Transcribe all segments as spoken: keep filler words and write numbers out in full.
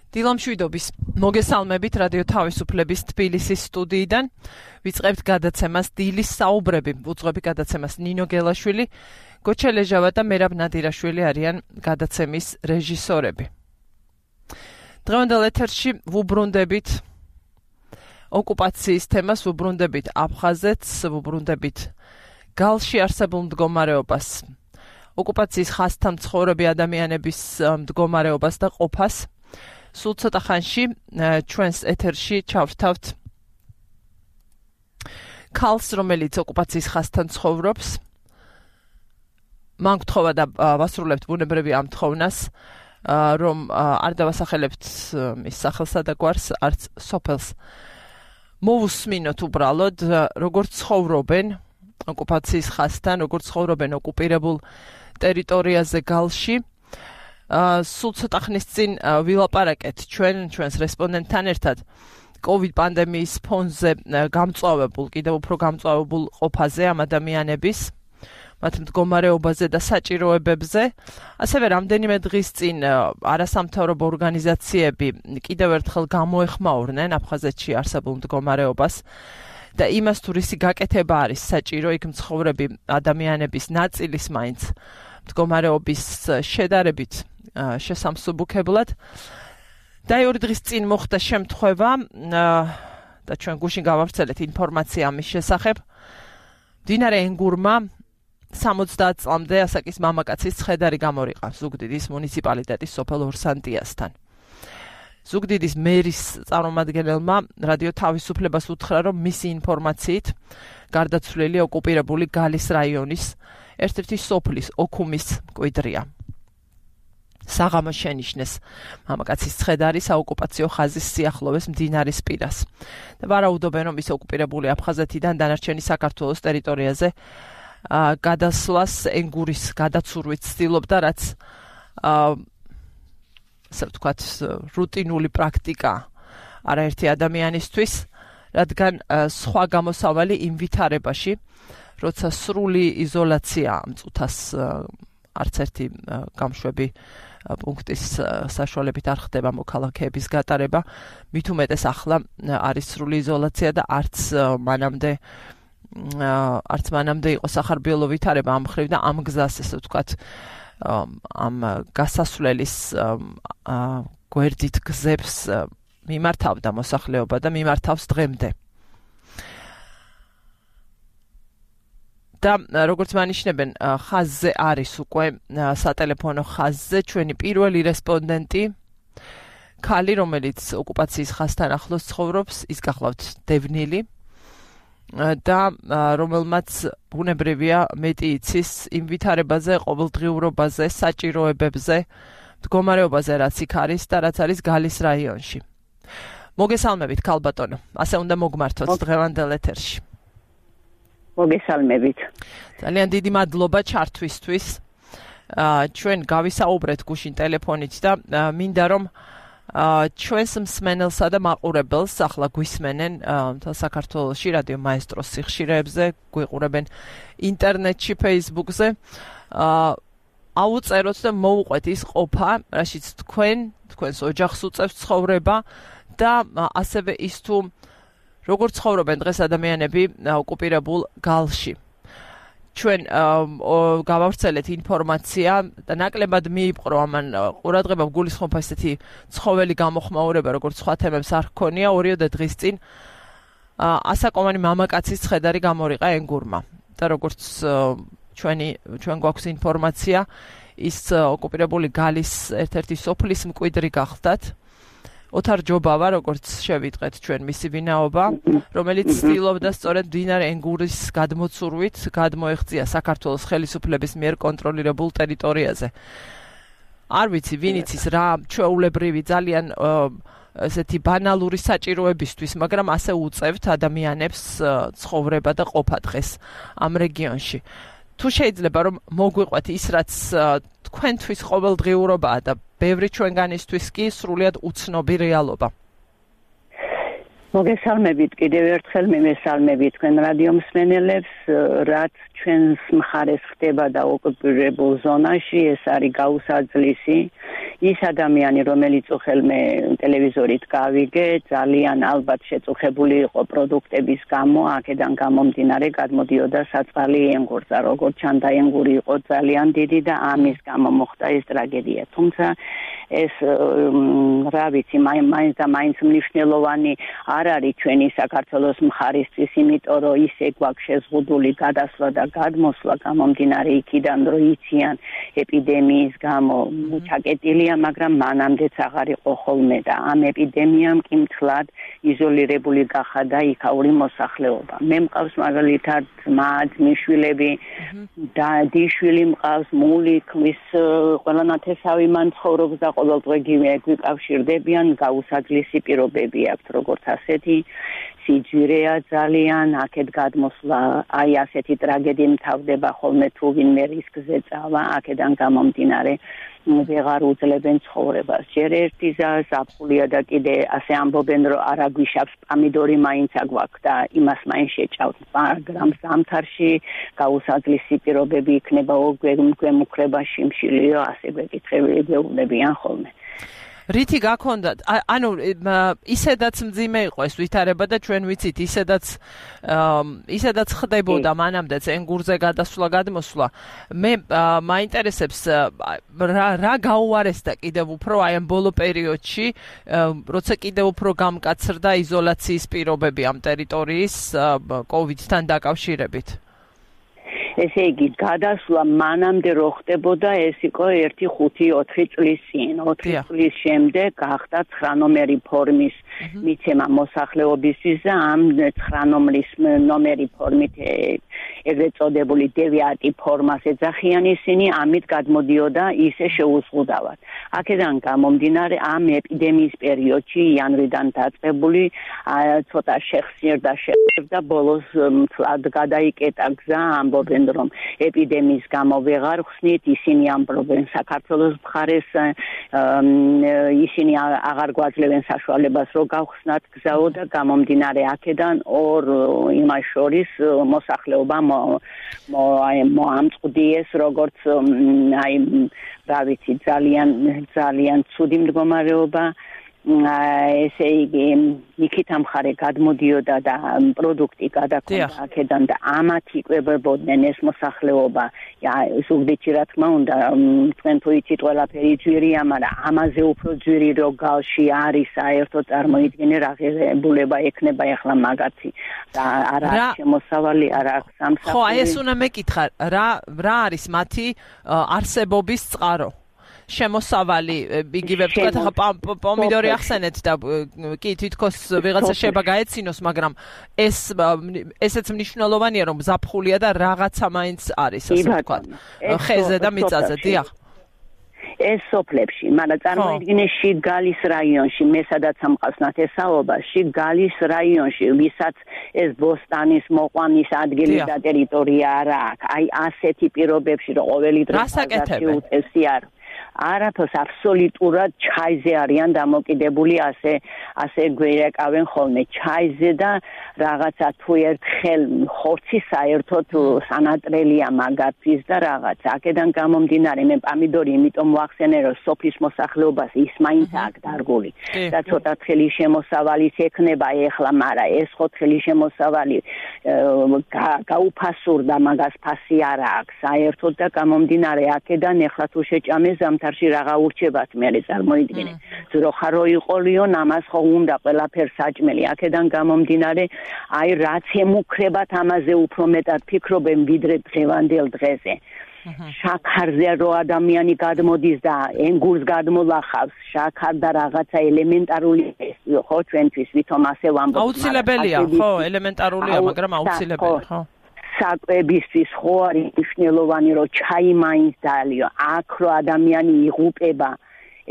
დილამშვიდობის მოგესალმებით რადიო თავისუფლების თბილისის სტუდიიდან. ვიწყებთ გადაცემას დილის საუბრები. უძღვები გადაცემას ნინო გელაშვილი, გოჩა ლეჟავა და მერაბ ნადირაშვილი არიან გადაცემის რეჟისორები. დღევანდელ ეთერში ვუბრუნდებით ოკუპაციის თემას, ვუბრუნდებით აფხაზეთს, ვუბრუნდებით გალში არსებულ მდგომარეობას, ოკუპაციის ხაზთან მცხოვრები ადამიანების მდგომარეობას და ყოფას. სულ ცოტა ხანში ჩვენს ეთერში ჩავრთავთ ქალს, რომელიც ოკუპაციის ხაზთან ცხოვრობს. მან გთხოვა და ვასრულებთ ბუნებრივი ამ თხოვნას, რომ არ დავასახელებთ მის სახელსა და გვარს, არც სოფელს. მოვუსმინოთ უბრალოდ, როგორც ცხოვრობენ ოკუპაციის ხაზთან, როგორც ცხოვრობენ ოკუპირებულ ტერიტორიაზე გალში. სულ ცოტა ხნის წინ ვილაპარაკეთ ჩვენ ჩვენს რესპონდენტთან ერთად COVID პანდემიის ფონზე გამწვავებულ, კიდევ უფრო გამწვავებულ ყოფაზე ამ ადამიანების, მათ მდგომარეობაზე და საჭიროებებზე. ასევე რამდენიმე დღის წინ არასამთავრობო ორგანიზაციები კიდევ ერთხელ გამოეხმაურნენ აფხაზეთში არსებულ მდგომარეობას და იმას, თუ რისი გაკეთება არის საჭირო, იქ მცხოვრები ადამიანების ნაწილის მაინც მდგომარეობის შედარებით შესამსუბუქებლად. და ორი დღის წინ მოხდა შემთხვევა და ჩვენ გუშინ გავავრცელეთ ინფორმაცია ამის შესახებ. მდინარე ენგურმა სამოცდაათ წლამდე ასაკის მამაკაცის ცხედარი გამორიყა ზუგდიდის მუნიციპალიტეტის სოფელ ორსანტიასთან. ზუგდიდის მერის წარმომადგენელმა რადიო თავისუფლებას უთხრა, რომ მისი ინფორმაციით გარდაცვლილი ოკუპირებული გალის რაიონის ერთ-ერთი სოფლის ოქუმის მკვიდრია. საღამოს შენიშნეს მამაკაცის ცხედარი საოკუპაციო ხაზის სიახლოვეს მდინარის პირას. და ვარაუდობენ, რომ ის ოკუპირებული აფხაზეთიდან დანარჩენი საქართველოს ტერიტორიაზე გადასვლას ენგურის გადაცურვით ცდილობდა, რაც ასე ვთქვათ, რუტინული პრაქტიკა არაერთი ადამიანისთვის, რადგან სხვა გამოსავალი იმ ვითარებაში, როცა სრული იზოლაცია მწუთას არც ერთი გამშვები პუნქტის საშუალებით არ ხდება მოქალაქეების გატარება, მით უმეტეს ახლა არის სრული იზოლაცია და არც მანამდე არც მანამდე იყო სახარბიელო ვითარება ამ მხრივ და ამ გზას, ესე ვთქვათ, ამ გასასვლელის გვერდით გზებს მიმართავდა მოსახლეობა და მიმართავს დღემდე. და როგორც მანიშნებენ, ხაზზე არის უკვე სატელეფონო ხაზზე ჩვენი პირველი რესპონდენტი, ქალი, რომელიც ოკუპაციის ხაზთან ახლოს ცხოვრობს, ის გახლავთ დევნილი და რომელმაც ბუნებრივია მეტი იცის იმ ვითარებაზე, ყოველდღიურობაზე, საჭიროებებზე, მდგომარეობაზე, რაც იქ არის და რაც არის გალის რაიონში. მოგესალმებით, ქალბატონო, ასე უნდა მოგმართოთ დღევანდელ ეთერში. მოგესალმებით. ძალიან დიდი მადლობა ჩართვისთვის. ჩვენ გავისაუბრეთ გუშინ ტელეფონით და მინდა რომ ჩვენს მსმენელსა და მაყურებელს ახლა გვისმენენ საქართველოში რადიო მაესტროს სიხშირეებზე, გვიყურებენ ინტერნეტში, Facebook-ზე. აუწეროთ და მოუყვეთ ის ყოფა, რაშიც თქვენ, თქვენს ოჯახს უწევს ცხოვრება და ასევე ის თუ როგორ ცხოვრობენ დღეს ადამიანები ოკუპირებულ გალში. ჩვენ გავავრცელეთ ინფორმაცია და ნაკლებად მიიპყრო ამან ყურადღება, გულისხმობ ესეთი ცხოველი გამოხმაურება, როგორც სხვა თემებს არ ჰქონია. ორიოდე დღის წინ ასაკოვანი მამაკაცის ცხედარი გამორიყა ენგურმა და როგორც ჩვენი ჩვენ გვაქვს ინფორმაცია, ის ოკუპირებული გალის ერთ-ერთი სოფლის მკვიდრი გახლდათ. ოთარ ჯობავა, როგორც შევიტყვეთ ჩვენ მისი ვინაობა, რომელიც ცდილობდა სწორედ მდინარე ენგურის გადმოცურვით გადმოეღწია საქართველოს ხელისუფლების მიერ კონტროლირებულ ტერიტორიაზე. არ ვიცი, ვინ იცის რა ჩვეულებრივი ძალიან ესეთი ბანალური საჭიროებისთვის, მაგრამ ასე უწევთ ადამიანებს ცხოვრება და ყოფა დღეს ამ რეგიონში. თუ შეიძლება რომ მოგვიყვეთ ის, რაც თქვენთვის ყოველდღიურობაა და ბევრი ჩვენგანისთვის კი სრულიად უცნობი რეალობა. მოგესალმებით კიდევ ერთხელ, მემესალმებით თქვენ რადიო მსმენელებს, რაც ჩვენს მხარეს ხდება და ოკუპირებულ ზონაში, ეს არის გაუსაძლისი, ის ადამიანი, რომელიც უხელმე ტელევიზორით გავიგე, ძალიან ალბათ შეწუხებული იყო პროდუქტების გამო, აქედან გამომდინარე გადმოდიოდა საწყალი ენგურზე, როგორც ჩანდა ენგური იყო ძალიან დიდი და ამის გამო მოხდა ეს ტრაგედია. თუმცა ეს რა ვიცი, მაინც და მაინც მნიშვნელოვანი არ არის ჩვენი საქართველოს მხარისთვის, იმიტომ რომ ისე გვაქვს შეზღუდული გადასვლა და გადმოსვლა გამომდინარე იქიდან, რომ იციან ეპიდემიის გამო ჩაკეტილია, მაგრამ მანამდეც აღარ იყო ხოლმე და ამ ეპიდემიამ კი მთლად იზოლირებული გახადა იქაური მოსახლეობა. მე მყავს მაგალითად ძმა, ძმისშვილები და დიშვილი მყავს, მული ქმის, ყველა ნათესავი მან ცხოვრობს და ყოველდღე გვიკავშირდებიან, გაუსაძლისი პირობები აქვთ, როგორც ასეთი სიძვირეა ძალიან, აქეთ გადმოსვლა, აი ასეთი ტრაგედია მთავრდება ხოლმე თუ ვინმე რისკზე წავა, აქედან გამომდინარე ვეღარ უძლებენ ცხოვრებას. ჯერ ერთი ზაფხულია და კიდე ასე ამბობენ, რომ არა გვიშავს პამიდორი მაინც აგვაქვს და იმას მაინც შეჭავთ, მაგრამ ზამთარში გაუსაძლისი პირობები იქნება, გვემუქრება შიმშილიო, ასე გვეკითხები გეუბნებიან ხოლმე. რითი გაქონდათ? ანუ ისედაც მძიმე იყო ეს ვითარება და ჩვენ ვიცით, ისედაც ისედაც ხდებოდა მანამდეც ენგურზე გადასვლა, გადმოსვლა. მე მაინტერესებს რა რა გაუარესდა კიდევ უფრო აი ამ ბოლო პერიოდში, როცა კიდევ უფრო გამკაცრდა იზოლაციის პირობები ამ ტერიტორიის კოვიდთან დაკავშირებით. ესე იგი, გადასვლა მანამდე რო ხდებოდა, ეს იყო ერთი ხუთი ოთხი წლის წინ. ოთხი წლის შემდეგ გახდა ცხრა ნომერი ფორმის მიცემა მოსახლეობისთვის და ამ ცხრა ნომრის ნომერი ფორმით ეგრეთ წოდებული დევიატი ფორმას ეძახიან ისინი, ამით გადმოდიოდა ისე შეუზღუდავად. აქედან გამომდინარე ამ ეპიდემიის პერიოდში იანვრიდან დაწყებული ცოტა შეხსიერდა შეხსიერდა ბოლოს მთლად გადაიკეტა გზა, ამბობენ რომ ეპიდემიის გამო ვეღარ ხსნით, ისინი ამბობენ საქართველოს მხარეს, ისინი აღარ გვაძლევენ საშუალებას რომ გავხსნათ გზაო და გამომდინარე აქედან ორ იმას შორის მოსახლეობა მოამწყდიეს როგორც აი რა ვიცი ძალიან ძალიან ცუდი მდგომარეობა. ესე იგი იქით ამხარე გადმოდიოდა და პროდუქტი გადაქონდა აქედან და ამათ იკვებებოდნენ ეს მოსახლეობა. ზუგდიდში რა თქმა უნდა, თქვენ თუ იცით ყველაფერი ძვირია, მაგრამ ამაზე უფრო ძვირი რო გალში არის საერთოდ წარმოიდგინე რა ღირებულება ექნება ახლა მაგათი და არა აქვს შემოსავალი, არა აქვს სამსახური. ხო, აი ეს უნდა მეკითხა, რა რა არის მათი არსებობის წყარო? შემოსავალი, იგივე ვთქვათ, ახლა პომიდორი ახსენეთ და კი თითქოს ვიღაცა შეიძლება გაეცინოს, მაგრამ ეს ესეც მნიშვნელოვანია, რომ ზაფხულია და რაღაცა მაინც არის, ასე ვთქვათ, ხეზე და მიწაზე, დიახ. ეს სოფლებში, მაგრამ წარმოიდგინე შიგალის რაიონში, მე სადაც ამყავს ნათესაობა, შიგალის რაიონში, ვისაც ეს ბოსტანის მოყვანის ადგილი და ტერიტორია არა აქვს. აი ასეთი პირობებში, რომ ყოველი დღე უწევსი არ არაფერს აბსოლუტურად ჩაიზე არიან დამოკიდებული, ასე ასე გვერეკავენ ხოლმე ჩაიზე და რაღაცა თუ ერთხელ ხორცი საერთოდ სანატრელია მაგათთვის და რაღაც. აქედან გამომდინარე მე პამიდორი იმიტომ ვახსენე, რომ სოფლის მოსახლეობას ის მაინც აქვს დარგული და ცოტა თხელი შემოსავალიც ექნება ეხლა, მაგრამ ეს ხო თხელი შემოსავალი გაუფასურდა, მაგას ფასი არ აქვს საერთოდ და გამომდინარე აქედან ეხლა თუ შეჭამეს ზამთარში რაღა ურჩებათ მე წარმოიდგინე. ძროხა რო იყოლიონ, ამას ხო უნდა ყველაფერს საჭმელი. აქედან გამომდინარე, აი რაც ემუქრებათ ამაზე უფრო მეტად ფიქრობენ ვიდრე დღევანდელ დღეზე. შაქარზე რო ადამიანი გადმოდის და ენგურს გადმოლახავს, შაქარ და რაღაცა ელემენტარული ხო ჩვენთვის ვითომ ასე ვამბობთ. აუცილებელია, ხო, ელემენტარულია, მაგრამ აუცილებელია, ხო. საკვებისთვის ხო არის მნიშვნელოვანი, რომ ჩაი მაინც დალიო. აქ რო ადამიანი იღუპება,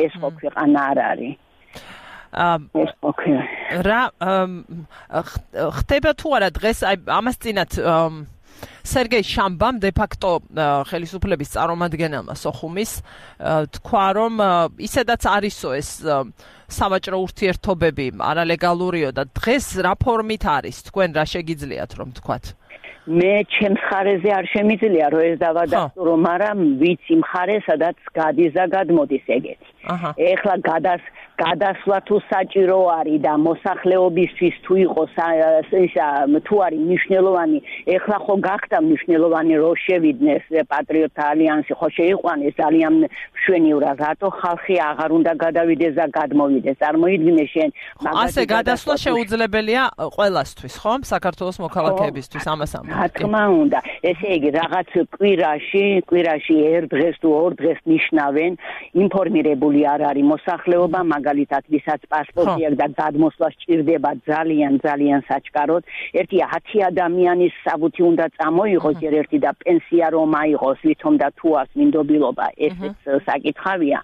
ეს ხო ქვეყანა არ არის. ეს ხო რა ხდება თუ არა დღეს აი ამას წინათ სერგეი შამბამ de facto ხელისუფლების წარმომადგენელმა სოხუმის თქვა რომ ისედაც არისო ეს სავაჭრო ურთიერთობები არალეგალურიო და დღეს რა ფორმით არის თქვენ რა შეგიძლიათ რომ თქვათ? მე ჩემს მხარეზე არ შემიძლია რომ ეს დავადასტურო, მაგრამ ვიცი მხარე, სადაც გადის და გადმოდის ეგეთი. ეხლა გადას გადასვლა თუ საჭირო არის და მოსახლეობისთვის თუ იყოს ისა თუ არის მნიშვნელოვანი, ეხლა ხო გახდა მნიშვნელოვანი რომ შევიდნენ პატრიოტთა ალიანსი, ხო შეიყვანეს ძალიან მშვენივრად, რატო ხალხი აღარ უნდა გადავიდეს და გადმოვიდეს. წარმოიდგინე შენ ასე გადასვლა შეუძლებელია ყველასთვის, ხო? საქართველოს მოქალაქეებისთვის ამას ამბობ. რა თქმა უნდა, ესე იგი რაღაც კვირაში, კვირაში ერთ დღეს თუ ორ დღეს ნიშნავენ, ინფორმირებული არ არის მოსახლეობა, მაგალითად, ვისაც პასპორტი აქვს და გადმოსვლა სჭირდება ძალიან ძალიან საჩქაროდ, ერთი ათი ადამიანის საბუთი უნდა წამოიღოს, ჯერ ერთი და პენსია რომ აიღოს, ვითომ და თუ აქვს მინდობილობა, ესეც საკითხავია.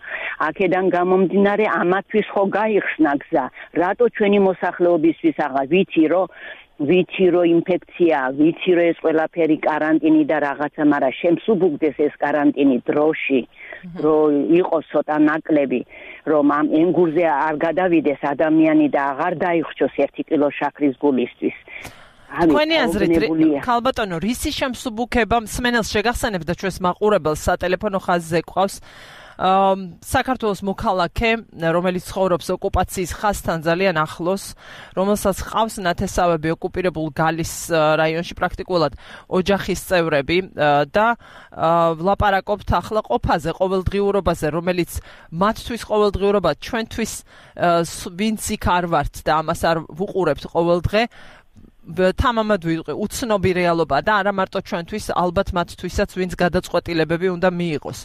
აქედან გამომდინარე, ამათთვის ხო გაიხსნა გზა, რატო ჩვენი მოსახლეობისთვის აღარ ვიცი რომ ვიცი რომ ინფექცია, ვიცი რომ ეს ყველაფერი каранტინი და რაღაცა, მაგრამ შემსუბუქდეს ეს каранტინი დროში, რომ იყოს ცოტა ნაკლები, რომ ამ ენგურზე არ გადავიდეს ადამიანი და აღარ დაიხრჩოს ერთი კილო შაქრის გულისთვის. თქვენი აზრით, ქალბატონო, რისი შემსუბუქება მსმენელს შეგახსენებთ და ჩვენს მაყურებელს სატელეფონო ხაზზე ყავს საქართველოს მოქალაქე, რომელიც ცხოვრობს ოკუპაციის ხაზთან ძალიან ახლოს, რომელსაც ყავს ნათესავები ოკუპირებულ გალის რაიონში, პრაქტიკულად ოჯახის წევრები და ვლაპარაკობთ ახლა ყოფაზე, ყოველდღიურობაზე, რომელიც მათთვის ყოველდღიურობა, ჩვენთვის ვინც იქ არ ვართ და ამას არ ვუყურებთ ყოველდღე, თამამად ვიტყვი, უცნობი რეალობა და არა მარტო ჩვენთვის, ალბათ მათთვისაც ვინც გადაწყვეტილებები უნდა მიიღოს.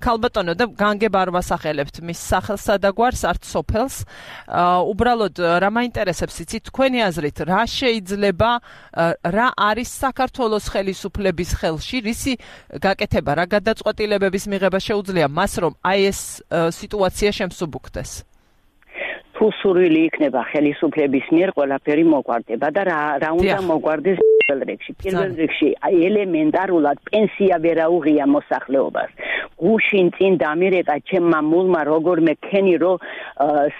ქალბატონო, და განგებ არ ვასახელებთ მის სახელსა და გვარს, არც სოფელს. უბრალოდ რა მაინტერესებს, იცით, თქვენი აზრით, რა შეიძლება, რა არის საქართველოს ხელისუფლების ხელში, რისი გაკეთება, რა გადაწყვეტილებების მიღება შეუძლია მას, რომ აი ეს სიტუაცია შემსუბუქდეს? თუ სურვილი იქნება ხელისუფლების მიერ, ყველაფერი მოგვარდება და რა რა უნდა მოგვარდეს პირველ რიგში. პირველ რიგში ელემენტარულად პენსია ვერ აუღია მოსახლეობას. გუშინ წინ დამირეკა ჩემმა მულმა როგორმე ქენი რომ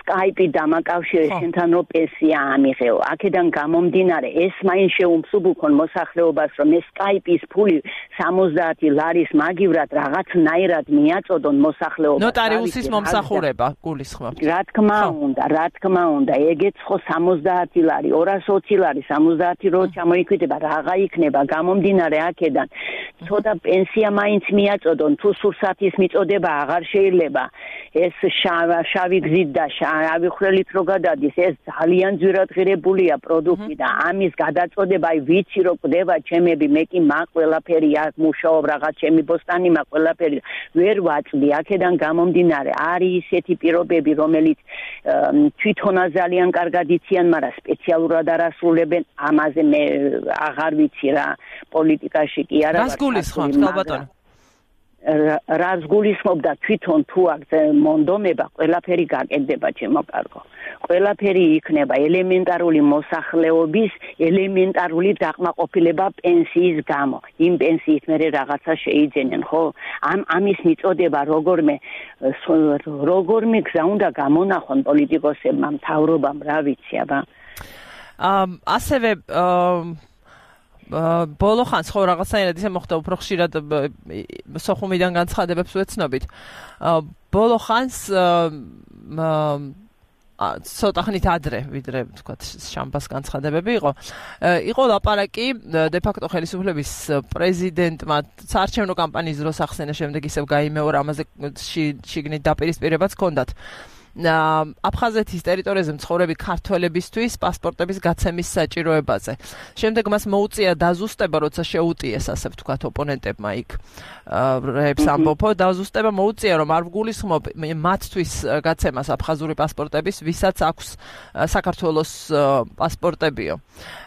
სკაიპი დამაკავშირე შენთან რომ პენსია ამიღეო. აქედან გამომდინარე ეს მაინც შეუმსუბუქონ მოსახლეობას რომ ეს სკაიპის ფული სამოცდაათი ლარის მაგივრად რაღაცნაირად მიაწოდონ მოსახლეობას. ნოტარიუსის მომსახურება გულისხმობთ. რა თქმა უნდა, რა თქმა უნდა, ეგეც ხო სამოცდაათი ლარი, ორას ოცი ლარი, სამოცდაათი რო ჩამოიკვირდება, რაღა იქნება გამომდინარე აქედან. ცოტა პენსია მაინც მიაწოდონ, თუ სურსათის მიწოდება აღარ შეიძლება. ეს შავი გზით და შავი ხვრელით რო გადადის, ეს ძალიან ძვირადღირებულია პროდუქტი და ამის გადაწოდება, აი ვიცი რო ყდება ჩემები, მე კი მაგ ყველაფერი აქ მუშაობ, რაღაც ჩემი ბოსტანი მაგ ყველაფერი ვერ ვაწვდი. აქედან გამომდინარე, არის ისეთი პირობები, რომელიც თვითონაც ძალიან კარგად იციან, მაგრამ სპეციალურად არ ასრულებენ, ამაზე მე აღარ ვიცი რა, პოლიტიკაში კი არა. რას გულისხმობთ, ქალბატონო? რას გულისხმობ და თვითონ თუ აქ მონდომება, ყველაფერი გაკეთდება, ჩემო კარგო. ყველაფერი იქნება ელემენტარული მოსახლეობის, ელემენტარული დაკმაყოფილება პენსიის გამო. იმ პენსიით მერე რაღაცა შეიძენენ, ხო? ამ ამის მიწოდება როგორმე როგორმე გზა უნდა გამონახონ პოლიტიკოსებმა, მთავრობამ, რა ვიცი, აბა. ასევე ბოლო ხანს ხო რაღაცნაირად ისე მოხდა, უფრო ხშირად სოხუმიდან განცხადებებს ვეცნობით. ბოლო ხანს ცოტა ხნით ადრე, ვიდრე თქვათ შამბას განცხადებები იყო. იყო ლაპარაკი დე-ფაქტო ხელისუფლების პრეზიდენტმა საარჩევნო კამპანიის დროს ახსენა, შემდეგ ისევ გაიმეორა, ამაზე შიგნით დაპირისპირებაც ჰქონდათ. აფხაზეთის ტერიტორიაზე მცხოვრები ქართველებისთვის პასპორტების გაცემის საჭიროებაზე. შემდეგ მას მოუწია დაზუსტება, როცა შეუტიეს, ასე ვთქვათ, ოპონენტებმა იქ რებს ამბობ, დაზუსტება მოუწია, რომ არ ვგულისხმობ მათთვის გაცემას აფხაზური პასპორტების, ვისაც აქვს საქართველოს პასპორტებიო.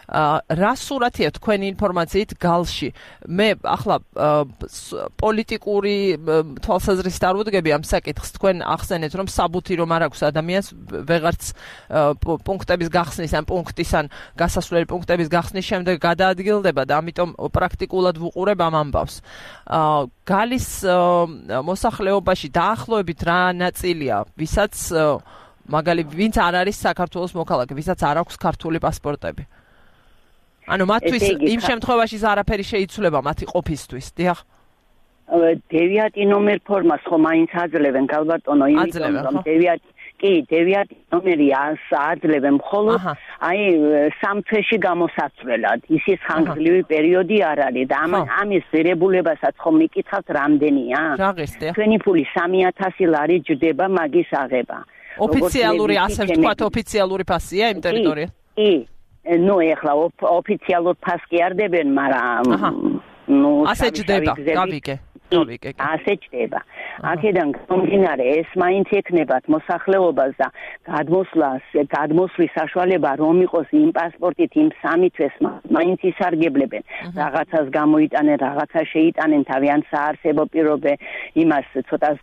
რა სურათია თქვენი ინფორმაციით გალში? მე ახლა პოლიტიკური თვალსაზრისით არ ვუდგები ამ საკითხს, თქვენ ახსენეთ, რომ საბუთი რომ არ აქვს ადამიანს ვეღარც პუნქტების გახსნის ან პუნქტის ან გასასვლელი პუნქტების გახსნის შემდეგ გადაადგილდება და ამიტომ პრაქტიკულად ვუყურებ ამ ამბავს. გალის მოსახლეობაში დაახლოებით რა ნაწილია, ვისაც მაგალითად ვინც არ არის საქართველოს მოქალაქე, ვისაც არ აქვს ქართული პასპორტები? ანუ მათთვის იმ შემთხვევაში არაფერი შეიცვლება მათი ყოფისთვის, დიახ. დევიათი ნომერ ფორმას ხომ მაინც აძლევენ გალბატონო, იმიტომ რომ დევიათი კი, დევიათი ნომერი აძლევენ მხოლოდ აი სამ თვეში გამოსაცვლელად. ისის ხანგრძლივი პერიოდი არ არის და ამის ღირებულებასაც ხომ მიკითხავთ რამდენია? ჩვენი ფული სამი ათასი ლარი ჯდება მაგის აღება. ოფიციალური, ასე ვთქვათ, ოფიციალური ფასია იმ ტერიტორიაზე? კი. ნუ ეხლა ოფიციალურ ფასს კი არ დებენ, მაგრამ ნუ ასე ჯდება, გავიგე. გავიგე. ასე ჯდება. აქედან გამომდინარე, ეს მაინც ეკნებათ მოსახლეობას და გადმოსვლას, გადმოსვლის საშუალება რომ იყოს იმ პასპორტით, იმ სამი თვეს მაინც ისარგებლებენ. რაღაცას გამოიტანენ, რაღაცა შეიტანენ, თავიანთ საარსებო პირობე იმას ცოტას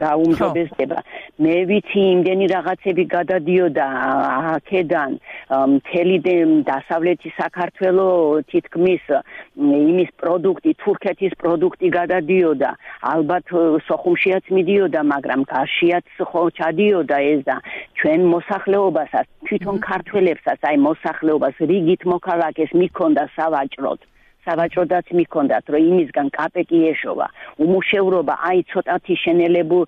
გაუმჯობესდება. მე ვიცი, იმდენი რაღაცები გადადიოდა აქედან მთელი დასავლეთი საქართველო თითქმის იმის პროდუქტი, თურქეთის პროდუქტი გადადიოდა. ალბათ სოხუმშიაც მიდიოდა, მაგრამ გარშიაც ხო ჩადიოდა ეს და ჩვენ მოსახლეობასაც, თვითონ ქართველებსაც, აი მოსახლეობას რიგით მოქალაქეს მიქონდა სავაჭროდ. სავაჭროდაც მიქონდათ, რომ იმისგან კაპეკი ეშოვა. უმუშევრობა აი ცოტათი შენელებულ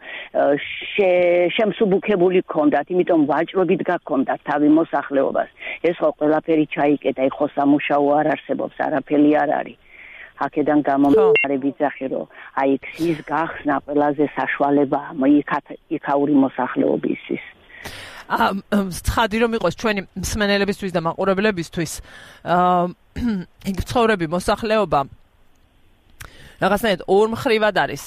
შემსუბუქებული ქონდათ, იმიტომ ვაჭრობით გაქონდათ თავი მოსახლეობას. ეს ხო ყველაფერი ჩაიკეტა, ხო სამუშაო არ არსებობს, არაფერი არ არის. აქედან გამომდინარე ვიძახი, რომ აი ქსის გახსნა ყველაზე საშუალებაა იქაური მოსახლეობისთვის. ცხადი რომ იყოს ჩვენი მსმენელებისთვის და მაყურებლებისთვის, იქ ცხოვრები მოსახლეობა რაღაცნაირად ორ მხრივად არის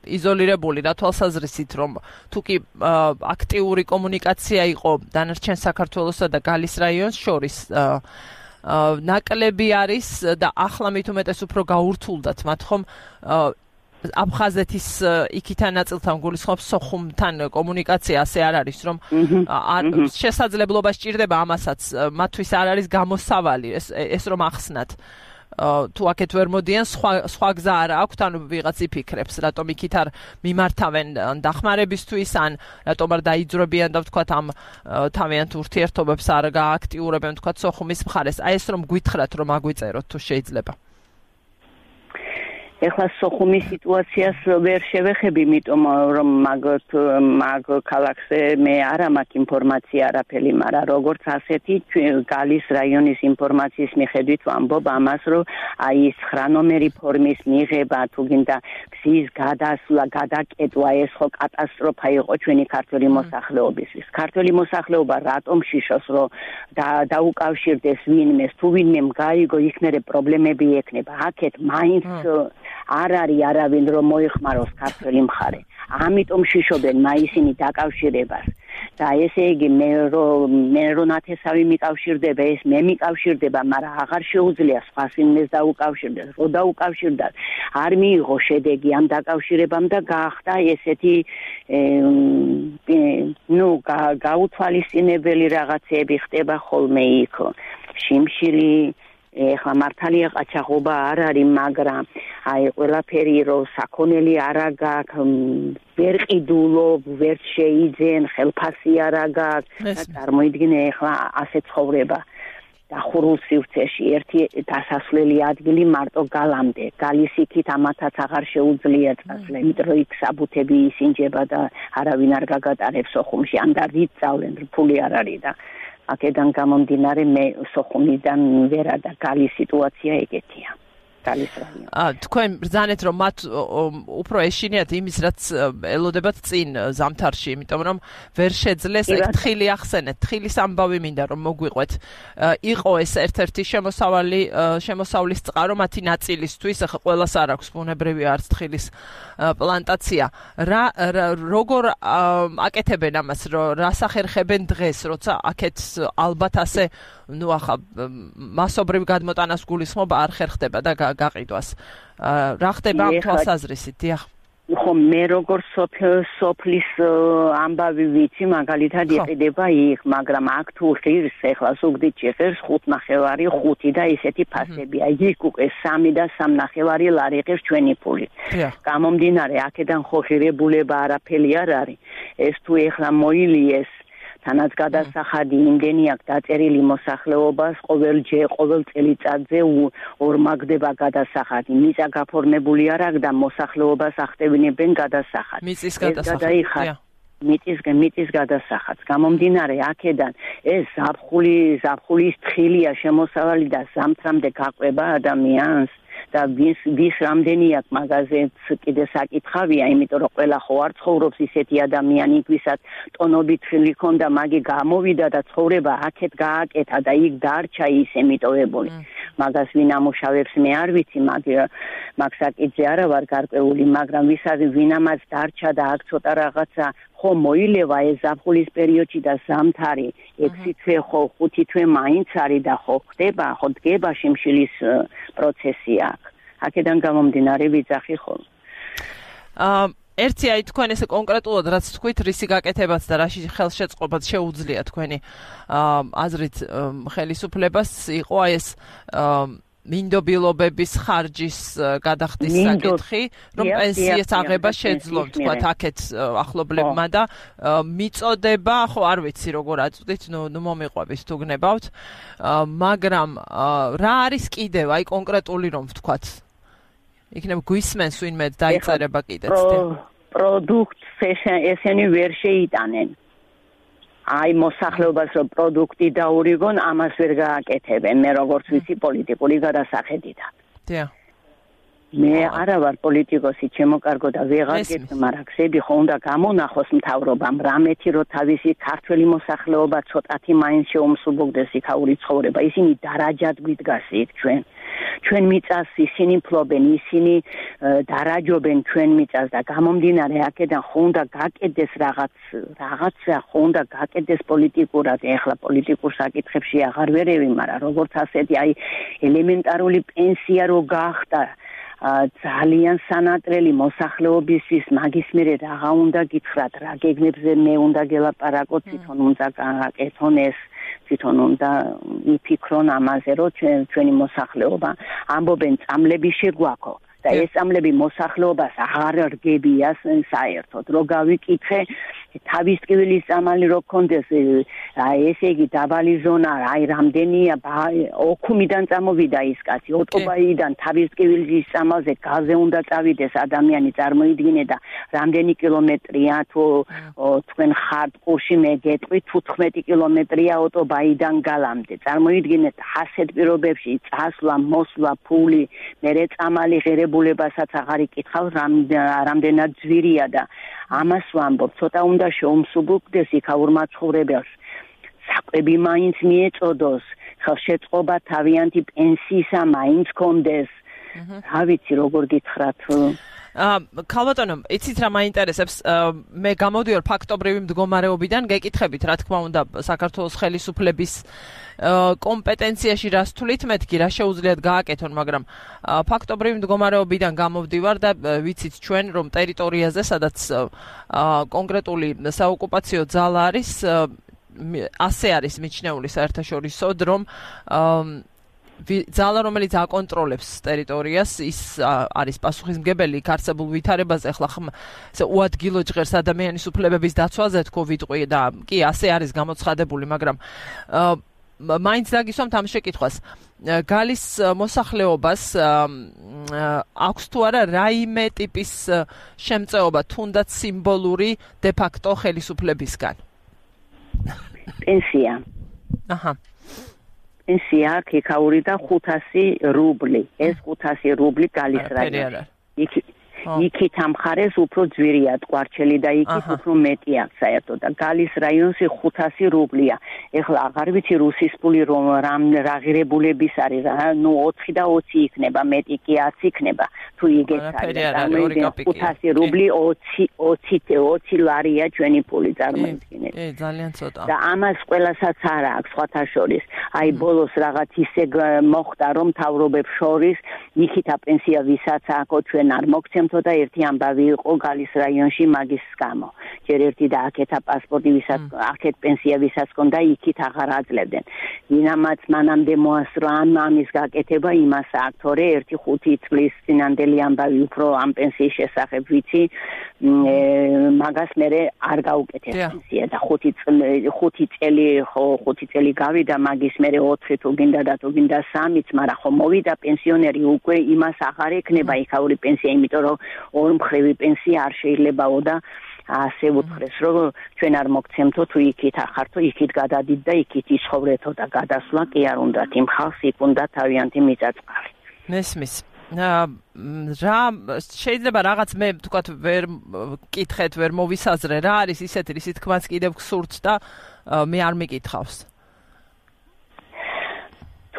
იზოლირებული რა თვალსაზრისით, რომ თუ კი აქტიური კომუნიკაცია იყო დანარჩენ საქართველოსა და გალის რაიონს შორის ნაკლები არის და ახლა მით უმეტეს უფრო გაურთულდათ მათ ხომ აფხაზეთის იქიდან ნაწილთან გულისხმობს სოხუმთან კომუნიკაცია ასე არ არის რომ შესაძლებლობა სჭირდება ამასაც მათთვის არ არის გამოსავალი ეს ეს რომ ახსნათ თუ აქეთ ვერ მოდიან სხვა სხვა გზა არ აქვთ ანუ ვიღაც იფიქრებს რატომ იქით არ მიმართავენ დახმარებისთვის ან რატომ არ დაიძრებიან და ვთქვათ ამ თავიანთ ურთიერთობებს არ გააქტიურებენ ვთქვათ სოხუმის მხარეს აი ეს რომ გითხრათ რომ აგვიწეროთ თუ შეიძლება ეხლა სოხუმის სიტუაციას ვერ შევეხები, იმიტომ რომ მაგ მაგ ქალაქზე მე არ მაქვს ინფორმაცია არაფერი, მაგრამ როგორც ასეთი გალის რაიონის ინფორმაციის მიხედვით ვამბობ ამას, რომ აი ეს ცხრა ნომერი ფორმის მიღება თუ გინდა გზის გადასვლა, გადაკეტვა ეს ხო კატასტროფა იყო ჩვენი ქართული მოსახლეობისთვის. ქართული მოსახლეობა რატომ შიშოს რომ დაუკავშირდეს ვინმეს, თუ ვინმემ გაიგო იქნერე პრობლემები ექნება. აქეთ მაინც არ არის არავინ რომ მოიხმაროს ქართველი მხარე. ამიტომ შიშობენ მაისინი დაკავშირებას. და ესე იგი მე რომ მე რომ ნათესავი მიკავშირდება, ეს მე მიკავშირდება, მაგრამ აღარ შეუძლია სხვა ვინმეს დაუკავშირდეს. რო დაუკავშირდათ, არ მიიღო შედეგი ამ დაკავშირებამ და გაახდა ესეთი ნუ გაუთვალისწინებელი რაღაცები ხდება ხოლმე იქ. შიმშილი ეხლა მართალია ყაჩაღობა არ არის, მაგრამ აი ყველაფერი რომ საქონელი არა გაქვს, ვერ ყიდულობ, ვერ შეიძენ, ხელფასი არა გაქვს, წარმოიდგინე ეხლა ასე ცხოვრება დახურულ სივრცეში ერთი დასასვლელი ადგილი მარტო გალამდე, გალის იქით ამათაც აღარ შეუძლია წასვლა, იმიტომ რომ იქ საბუთები ისინჯება და არავინ არ გაგატარებს სოხუმში, ან და რით წავლენ, ფული არ არის და აქედან გამომდინარე მე სოხუმიდან ვერა და გალის სიტუაცია ეგეთია. თქვენ ბრძანეთ რომ მათ უფრო ეშინიათ იმის რაც ელოდებათ წინ ზამთარში, იმიტომ რომ ვერ შეძლეს ეგ თხილი ახსენეთ, თხილის ამბავი მინდა რომ მოგვიყვეთ. იყო ეს ერთ-ერთი შემოსავალი შემოსავლის წყარო მათი ნაწილისთვის, ახლა ყველას არ აქვს ბუნებრივი არც თხილის პლანტაცია. რა როგორ აკეთებენ ამას, რა სახერხებენ დღეს, როცა აქეთ ალბათ ასე ნუ ახლა მასობრივ გადმოტანას გულისხმობა არ ხერხდება და გაყიდვას. რა ხდება ამ თვალსაზრისით? დიახ. ხო მე როგორ სოფლის ამბავი ვიცი, მაგალითად იყიდება იქ, მაგრამ აქ თუ ღირს ეხლა ზუგდიდ ჭიხერს ხუთ ნახევარი, ხუთი და ისეთი ფასებია. იქ უკვე სამი და სამ ნახევარი ლარი ღირს ჩვენი ფული. გამომდინარე, აქედან ხო ღირებულება არაფერი არ არის. ეს თუ ეხლა მოილიეს მათთანაც გადასახადი იმდენი აქვს დაწერილი მოსახლეობას ყოველჯერ ყოველ წელიწადზე ორმაგდება გადასახადი მიწა გაფორმებული არ აქვს და მოსახლეობას ახდენებენ გადასახადს მიწის გადასახადს მიწის მიწის გადასახადს გამომდინარე აქედან ეს ზაფხული ზაფხულის თხილია შემოსავალი და ზამთრამდე გაყვება ადამიანს და ვის ვის რამდენი აქვს მაგაზეც კიდე საკითხავია, იმიტომ რომ ყველა ხო არ ცხოვრობს ისეთი ადამიანი, ვისაც ტონობით ხილი ქონდა, მაგი გამოვიდა და ცხოვრება აქეთ გააკეთა და იქ დარჩა ისე მიტოვებული. მაგას ვინ ამუშავებს მე არ ვიცი, მაგრამ მაგ საკითხზე არა ვარ გარკვეული, მაგრამ ვისაც ვინამაც დარჩა და აქ ცოტა რაღაცა ხო მოილევა ეს ზაფხულის პერიოდში და ზამთარი ექვსი თვე ხო ხუთი თვე მაინც არის და ხო ხდება, ხო დგება შიმშილის პროცესი აქ. აქედან გამომდინარე ვიძახი ხოლმე. აა ერთი აი თქვენ ესე კონკრეტულად რაც თქვით რისი გაკეთებაც და რაში ხელშეწყობაც შეუძლია თქვენი აზრით ხელისუფლებას იყო აი ეს მინდობილობების ხარჯის გადახდის საკითხი, რომ პენსიას აღება შეძლონ, თქვათ, აქეთ ახლობლებმა და მიწოდება, ხო, არ ვიცი როგორ აწვდით, ნუ ნუ მომიყვებით თუ გნებავთ, მაგრამ რა არის კიდევ, აი კონკრეტული რომ ვთქვათ, იქნებ გვისმენს ვინმე დაიწერება კიდეც. პროდუქტს ესენი ვერ შეიტანენ. აი მოსახლეობას რომ პროდუქტი დაურიგონ, ამას ვერ გააკეთებენ. მე როგორც ვიცი პოლიტიკური გადასახედიდან. დიახ. მე არა ვარ პოლიტიკოსი, ჩემო კარგო და ვეღარ გეტყვი, მაგრამ გზები ხო უნდა გამონახოს მთავრობამ, რამეთი რომ თავისი ქართველი მოსახლეობა ცოტათი მაინც შეუმსუბუქდეს იქაური ცხოვრება. ისინი დარაჯად გვიდგას იქ ჩვენ. ჩვენ მიწას ისინი ფლობენ, ისინი დარაჯობენ ჩვენ მიწას და გამომდინარე აქედან ხო უნდა გაკეთდეს რაღაც რაღაცა ხო უნდა გაკეთდეს პოლიტიკურად. ეხლა პოლიტიკურ საკითხებში აღარ ვერევი, მაგრამ როგორც ასეთი აი ელემენტარული პენსია რო გახდა ძალიან სანატრელი მოსახლეობისთვის მაგის მერე რაღა უნდა გითხრათ, რა გეგმებზე მე უნდა გელაპარაკოთ, თვითონ უნდა გააკეთონ ეს, თვითონ უნდა იფიქრონ ამაზე, რომ ჩვენი მოსახლეობა ამბობენ წამლები შეგვაქო და ეს წამლები მოსახლეობას აღარ რგებია საერთოდ, რო გავიკითხე თავის ტკივილის წამალი რო გქონდეს, აი ესე იგი დაბალი ზონა, აი რამდენია ოქუმიდან წამოვიდა ის კაცი, ოტობაიდან თავის ტკივილის წამალზე გაზზე უნდა წავიდეს ადამიანი, წარმოიდგინე და რამდენი კილომეტრია თუ თქვენ ხართ ყურში მე გეტყვი თუთხმეტი კილომეტრია ოტობაიდან გალამდე. წარმოიდგინეთ ასეთ პირობებში წასვლა, მოსვლა, ფული, მერე წამალი ღირებულებასაც აღარ იკითხავს, რამდენად ძვირია და ამას ვამბობ, ცოტა უნდა შეუმსუბუქდეს იქაურ მაცხოვრებელს. საკვები მაინც მიეწოდოს, ხელშეწყობა თავიანთი პენსიისა მაინც კონდეს. რა ვიცი, როგორ გითხრათ. ქალბატონო, იცით რა მაინტერესებს, მე გამოდიოდი ფაქტობრივი მდგომარეობიდან, გეკითხებით, რა თქმა უნდა, საქართველოს ხელისუფლების კომპეტენციაში რას თვლით მეთქი, რა შეუძლიათ გააკეთონ, მაგრამ ფაქტობრივი მდგომარეობიდან გამოვდივარ და ვიცით ჩვენ, რომ ტერიტორიაზე, სადაც კონკრეტული საოკუპაციო ძალა არის, ასე არის მიჩნეული საერთაშორისოდ, რომ ძალა რომელიც აკონტროლებს ტერიტორიას, ის არის პასუხისმგებელი არსებულ ვითარებაზე, ახლა ესე უადგილო ჟღერს ადამიანის უფლებების დაცვაზე თქო ვიტყვი და კი ასე არის გამოცხადებული, მაგრამ მაინც დაგისვამთ ამ შეკითხვას. გალის მოსახლეობას აქვს თუ არა რაიმე ტიპის შემწეობა, თუნდაც სიმბოლური დე ფაქტო ხელისუფლებისგან? პენსია. აჰა. პენსია იქაური და ხუთასი რუბლი. ეს ხუთასი რუბლი გალის რაიონში. იქით ამ მხარეს უფრო ძვირია ტყვარჩელი და იქით უფრო მეტი აქვს საერთოდ და გალის რაიონში ხუთასი რუბლია. ეხლა აღარ ვიცი რუსის ფული რომ რა ღირებულების არის, ნუ ოთხი და ოცი იქნება, მეტი კი ათი იქნება. თუ იგეც არის, ხუთასი რუბლი ოცი ლარია ჩვენი ფული, წარმოიდგინეთ. ე ძალიან ცოტა. და ამას ყველასაც არა აქვს სხვათა შორის. აი ბოლოს რაღაც ისე მოხდა რომ მთავრობებს შორის იქით აპენსია ვისაც აქვს ჩვენ არ მოგცემთ და ერთი ამბავი იყო გალის რაიონში მაგის გამო. ჯერ ერთი და აქეთა პასპორტი ვისაც აქეთ პენსია ვისაც ჰქონდა, იქით აღარ აძლევდნენ. ვინამაც მანამდე მოასწრო ამ ამის გაკეთება იმას აქვს, თორე ერთი ხუთი წლის წინანდელი პირველი ამბავი უფრო ამ პენსიის შესახებ ვიცი, მაგას მე არ გაუკეთეს პენსია და ხუთი ხუთი წელი ხო ხუთი წელი გავიდა, მაგის მე ოთხი თუ გინდა და თუ გინდა სამიც, მაგრამ ხო მოვიდა პენსიონერი უკვე იმას აღარ ექნება იქაური პენსია, იმიტომ რომ ორმხრივი პენსია არ შეიძლებაო და ასე უთხრეს, რომ ჩვენ არ მოგცემთო თუ იქით ახართო, იქით გადადით და იქით იცხოვრეთო და გადასვლა კი არ უნდათ, იმ ხალხს იქ უნდა თავიანთი მიწაწყალი. მესმის. რა შეიძლება რაღაც მე თქვათ ვერ კითხეთ, ვერ მოვისაზრე, რა არის ისეთი, რის თქმაც კიდევ გსურთ და მე არ მიკითხავს.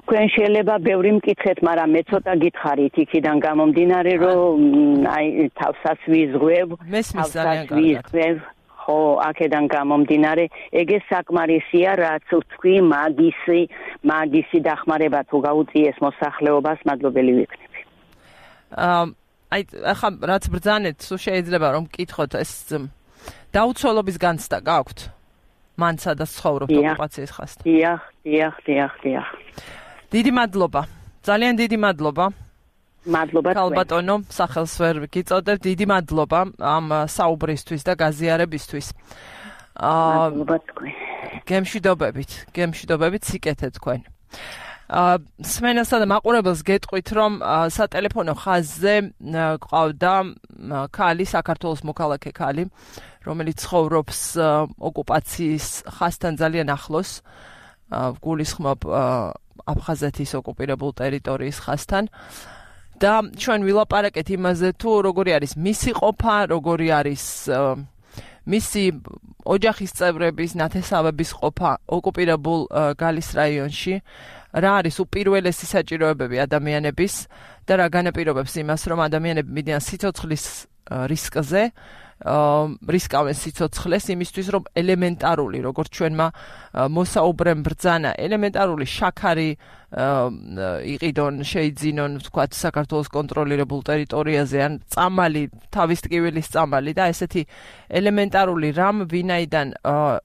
თქვენ შეიძლება ბევრი მკითხეთ, მაგრამ მე ცოტა გითხარით იქიდან გამომდინარე, რომ აი თავსაც ვიზღვევ, თავსაც ვიზღვევ, ხო, აქედან გამომდინარე, ეგ საკმარისია, რაც თქვი მაგისი, მაგისი დახმარება თუ გაუწიეს მოსახლეობას, მადლობელი ვიქნები. აი ახლა რაც ბრძანეთ, სულ შეიძლება რომ მკითხოთ, ეს დაუცველობის განცდა გაქვთ? მან სადაც ცხოვრობთ ოკუპაციის ხასთან. დიახ, დიახ, დიახ, დიახ. დიდი მადლობა. ძალიან დიდი მადლობა. მადლობა თქვენ. ქალბატონო, სახელს ვერ გიწოდებ. დიდი მადლობა ამ საუბრისთვის და გაზიარებისთვის. მადლობა თქვენ. გემშვიდობებით, გემშვიდობებით სიკეთე თქვენ. სმენასა და მაყურებელს გეტყვით, რომ სატელეფონო ხაზზე ყავდა ქალი, საქართველოს მოქალაქე ქალი, რომელიც ცხოვრობს ოკუპაციის ხასთან ძალიან ახლოს, გულისხმობ აფხაზეთის ოკუპირებულ ტერიტორიის ხასთან და ჩვენ ვილაპარაკეთ იმაზე, თუ როგორი არის მისი ყოფა, როგორი არის მისი ოჯახის წევრების, ნათესავების ყოფა ოკუპირებულ გალის რაიონში, რა არის უპირველესი საჭიროებები ადამიანების და რა განაპირობებს იმას, რომ ადამიანები მიდიან სიცოცხლის რისკზე, რისკავენ სიცოცხლეს იმისთვის, რომ ელემენტარული, როგორც ჩვენმა მოსაუბრემ ბრძანა, ელემენტარული შაქარი იყიდონ, შეიძინონ, ვთქვათ, საქართველოს კონტროლირებულ ტერიტორიაზე, ან წამალი, თავის ტკივილის წამალი და ესეთი ელემენტარული რამ, ვინაიდან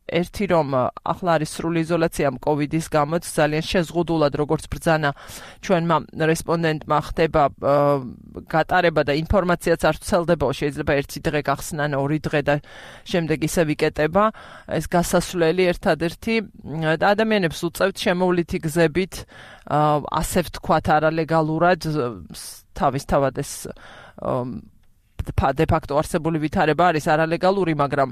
ერთი რომ ახლა არის სრული იზოლაცია კოვიდის გამო, ძალიან შეზღუდულად, როგორც ბრძანა ჩვენმა რესპონდენტმა ხდება გატარება და ინფორმაციაც არ ვრცელდებაო, შეიძლება ერთი დღე გახსნან, ორი დღე და შემდეგ ისე ვიკეტება, ეს გასასვლელი ერთადერთი და ადამიანებს უწევთ შემოვლითი გზებით, ასე ვთქვათ, არალეგალურად თავისთავად ეს de facto არსებული ვითარება არის არალეგალური, მაგრამ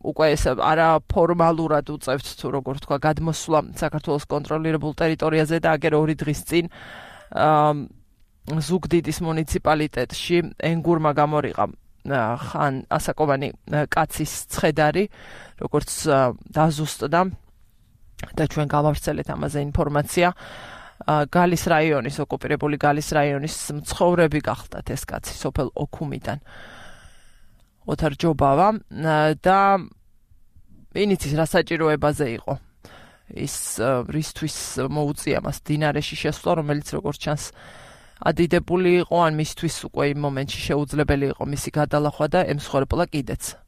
უკვე ეს არაფორმალურად უწევთ თუ როგორ თქვა გადმოსვლა საქართველოს კონტროლირებულ ტერიტორიაზე და აგერ ორი დღის წინ ზუგდიდის მუნიციპალიტეტში ენგურმა გამორიყა ხან ასაკოვანი კაცის ცხედარი, როგორც დაზუსტდა და ჩვენ გავავრცელეთ ამაზე ინფორმაცია. გალის რაიონის, ოკუპირებული გალის რაიონის მცხოვრები გახდათ ეს კაცი სოფელ ოქუმიდან. ოთარ ჯობავა და ინიცის რა საჭიროებაზე იყო. ის რისთვის მოუწია მას დინარეში შესვლა, რომელიც როგორც ჩანს ადიდებული იყო, ან მისთვის უკვე იმ მომენტში შეუძლებელი იყო მისი გადალახვა და ემსხვერპლა კიდეც.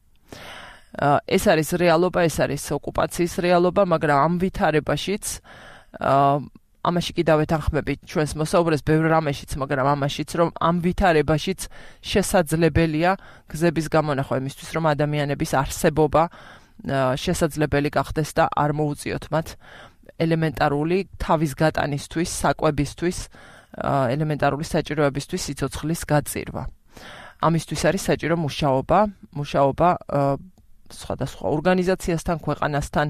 ეს არის რეალობა, ეს არის ოკუპაციის რეალობა, მაგრამ ამ ვითარებაშიც ამაში კიდევ ეთანხმებით ჩვენს მოსაუბრეს ბევრ რამეშიც, მაგრამ ამაშიც, რომ ამ ვითარებაშიც შესაძლებელია გზების გამონახვა იმისთვის, რომ ადამიანების არსებობა შესაძლებელი გახდეს და არ მოუწიოთ მათ ელემენტარული თავის გატანისთვის, საკვებისთვის, ელემენტარული საჭიროებისთვის სიცოცხლის გაწირვა. ამისთვის არის საჭირო მუშაობა, მუშაობა სხვადასხვა ორგანიზაციასთან, ქვეყანასთან,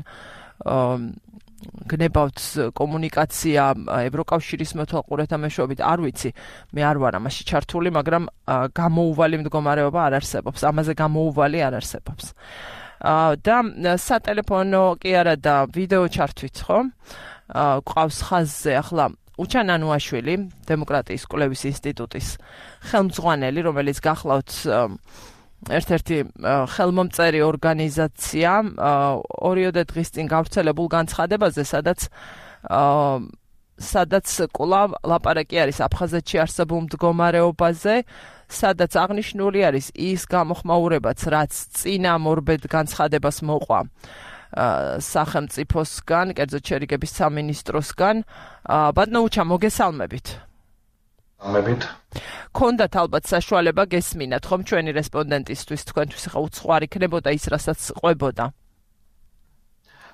გნებავთ კომუნიკაცია ევროკავშირის მეთვალყურეთა მეშვეობით, არ ვიცი, მე არ ვარ ამაში ჩართული, მაგრამ გამოუვალი მდგომარეობა არ არსებობს, ამაზე გამოუვალი არ არსებობს. და სატელეფონო კი არა და ვიდეო ჩართვით, ხო? ყავს ხაზზე ახლა უჩან ანუაშვილი, დემოკრატიის კვლევის ინსტიტუტის ხელმძღვანელი, რომელიც გახლავთ ერთ-ერთი ხელმომწერი ორგანიზაცია ორიოდე დღის წინ გავრცელებულ განცხადებაზე, სადაც სადაც კვლავ ლაპარაკი არის აფხაზეთში არსებულ მდგომარეობაზე, სადაც აღნიშნული არის ის გამოხმაურებაც, რაც წინამორბედ განცხადებას მოყვა სახელმწიფოსგან, კერძოდ შერიგების სამინისტროსგან. ბატონო უჩა, მოგესალმებით. მოგესალმებით. გქონდათ ალბათ საშუალება გესმინათ ხომ ჩვენი რესპონდენტისთვის თქვენთვის ხა უცხოარი იქნებოდა ის რასაც ყვებოდა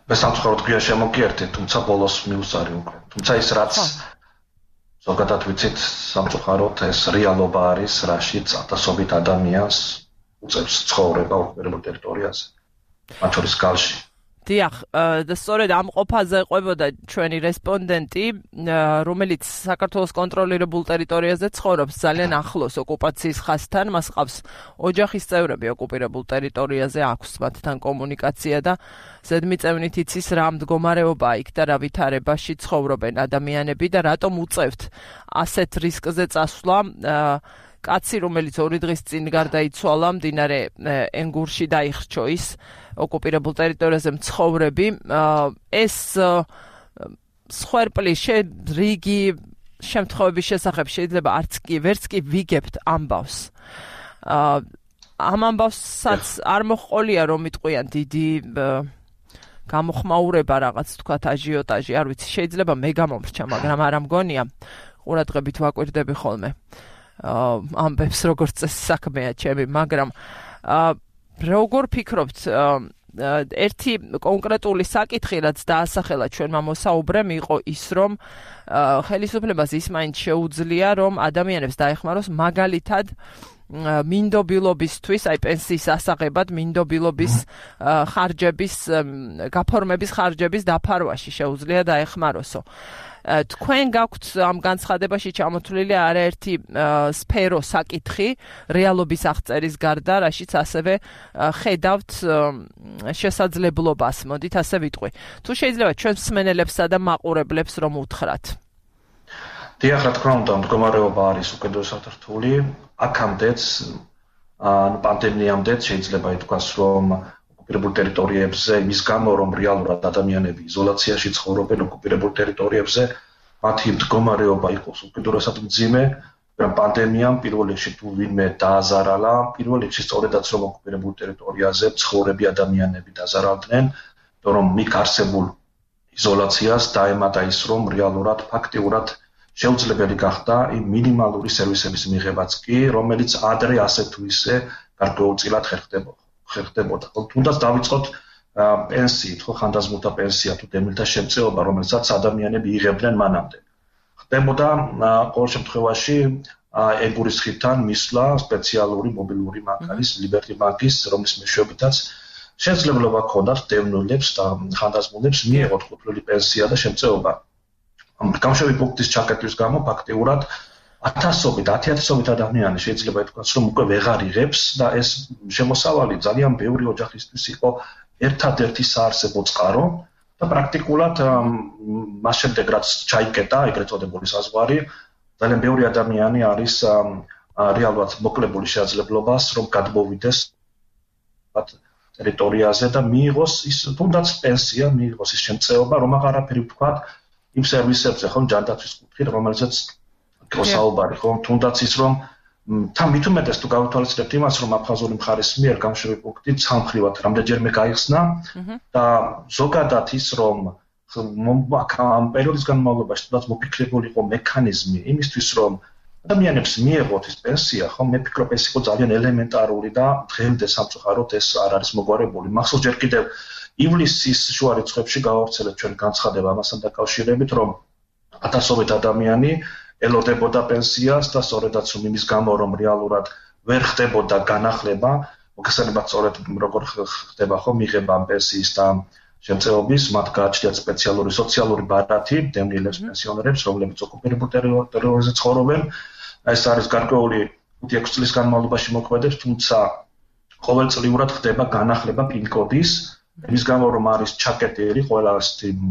მე სამწუხაროდ გვიან შემოგიერთეთ თუმცა ბოლოს მიუსარი უკვე თუმცა ის რაც ზოგადად ვიცით სამწუხაროდ ეს რეალობა არის რაშიც ათასობით ადამიანს უწევს ცხოვრება ოკუპირებულ ტერიტორიაზე მათ შორის გალში დიახ და სწორედ ამ ყოფაზე ყვებოდა ჩვენი რესპონდენტი რომელიც საქართველოს კონტროლირებულ ტერიტორიაზე ცხოვრობს ძალიან ახლოს ოკუპაციის ხაზთან მას ყავს ოჯახის წევრები ოკუპირებულ ტერიტორიაზე აქვს მათთან კომუნიკაცია და ზედმიწევნით იცის რა მდგომარეობაა იქ და რა ვითარებაში ცხოვრობენ ადამიანები და რატომ უწევთ ასეთ რისკზე წასვლა კაცი რომელიც ორი დღის წინ გარდაიცვალა მდინარე ენგურში დაიხრჩო ის ოკუპირებულ ტერიტორიაზე მცხოვრები ეს სხერპლის რიგი შემთხვევების შესახებ შეიძლება არც კი ვერც კი ვიგებთ ამბავს ამ ამბავსაც არ მოჰყოლია რომ იტყვიან დიდი გამოხმაურება რაღაც თქვათ აჟიოტაჟი არ ვიცი შეიძლება მე გამომრჩა მაგრამ არ ამგონია ყურადღებით ვაკვირდები ხოლმე ამბებს როგორც წესი საქმეა ჩემი მაგრამ როგორ ფიქრობთ ერთი კონკრეტული საკითხი რაც დაასახელა ჩვენმა მოსაუბრემ იყო ის რომ ხელისუფლებას ის მაინც შეუძლია რომ ადამიანებს დაეხმაროს მაგალითად მინდობილობისთვის აი პენსიის ასაღებად მინდობილობის ხარჯების გაფორმების ხარჯების დაფარვაში შეუძლია დაეხმაროსო თქვენ გაქვთ ამ განცხადებაში ჩამოთვლილი არაერთი სფერო საკითხი რეალობის აღწერის გარდა რაშიც ასევე ხედავთ შესაძლებლობას მოდით ასე ვიტყვი თუ შეიძლება ჩვენ მსმენელებსა და მაყურებლებს რომ უთხრათ დიახ რა თქმა უნდა მდგომარეობა არის უკიდურესად რთული აქამდეც ან პანდემიამდეც შეიძლება ითქვას რომ ოკუპირებულ ტერიტორიებზე იმის გამო რომ რეალურად ადამიანები იზოლაციაში ცხოვრობენ ოკუპირებულ ტერიტორიებზე მათი მდგომარეობა იყოს უკიდურესად მძიმე მაგრამ პანდემიამ პირველ რიგში თუ ვინმე დააზარალა პირველ რიგში სწორედაც რომ ოკუპირებულ ტერიტორიაზე მცხოვრები ადამიანები დაზარალდნენ რომ მიქ არსებულ იზოლაციას დაემატა ის რომ რეალურად ფაქტიურად შეუძლებელი გახდა იმ მინიმალური სერვისების მიღებაც კი რომელიც ადრე ასე თუ ისე გარკვეულწილად ხერხდებოდა ხერხდებოდა. თუნდაც დავიწყოთ პენსიით, ხო ხანდაზმულთა პენსია თუ დემილთა შემწეობა, რომელსაც ადამიანები იღებდნენ მანამდე. ხდებოდა ყოველ შემთხვევაში ეგურის ხიდთან მისვლა სპეციალური მობილური მანქანის ლიბერტი ბანკის, რომლის მეშვეობითაც შესაძლებლობა ჰქონდათ დევნილებს და ხანდაზმულებს მიეღოთ ხუთვლილი პენსია და შემწეობა. გამშვები პუნქტის ჩაკეტვის გამო ფაქტიურად ათასობით, ათი-ათასობით ადამიანი შეიძლება ითქვას, რომ უკვე ვეღარ იღებს და ეს შემოსავალი ძალიან ბევრი ოჯახისთვის იყო ერთადერთი საარსებო წყარო და პრაქტიკულად მას შემდეგ რაც ჩაიკეტა ეგრეთ წოდებული საზღვარი, ძალიან ბევრი ადამიანი არის რეალურად მოკლებული შესაძლებლობას, რომ გადმოვიდეს ტერიტორიაზე და მიიღოს ის თუნდაც პენსია, მიიღოს ის შემწეობა, რომ აღარაფერი ვთქვათ იმ სერვისებზე, ხომ ჯანდაცვის კუთხით, რომელზეც გასაუბარი ხომ თუნდაც ის რომ თან მით უმეტეს თუ გავთვალისწინებთ იმას რომ აფხაზური მხარის მიერ გამშვები პუნქტი სამხრივად რამდენჯერმე გაიხსნა და ზოგადად ის რომ ამ პერიოდის განმავლობაში თუნდაც მოფიქრებული იყო მექანიზმი იმისთვის რომ ადამიანებს მიეღოთ ის პენსია ხომ მე ვფიქრობ ეს იყო ძალიან ელემენტარული და დღემდე სამწუხაროდ ეს არ არის მოგვარებული მახსოვს ჯერ კიდევ ივლისის შუა რიცხვებში გავავრცელეთ ჩვენ განცხადება ამასთან დაკავშირებით რომ ათასობით ადამიანი ელოდებოდა პენსიას და სწორედაც რომ იმის გამო რომ რეალურად ვერ ხდებოდა განახლება, მოგესალმებით სწორედ როგორ ხდება ხო მიღება პენსიის და შემწეობის, მათ გააჩნიათ სპეციალური სოციალური ბარათი დევნილებს პენსიონერებს, რომლებიც ოკუპირებულ ტერიტორიაზე ცხოვრობენ. ეს არის გარკვეული ხუთი-ექვსი წლის განმავლობაში მოქმედებს, თუმცა ყოველწლიურად ხდება განახლება პინ-კოდის იმის გამო რომ არის ჩაკეტილი ყველა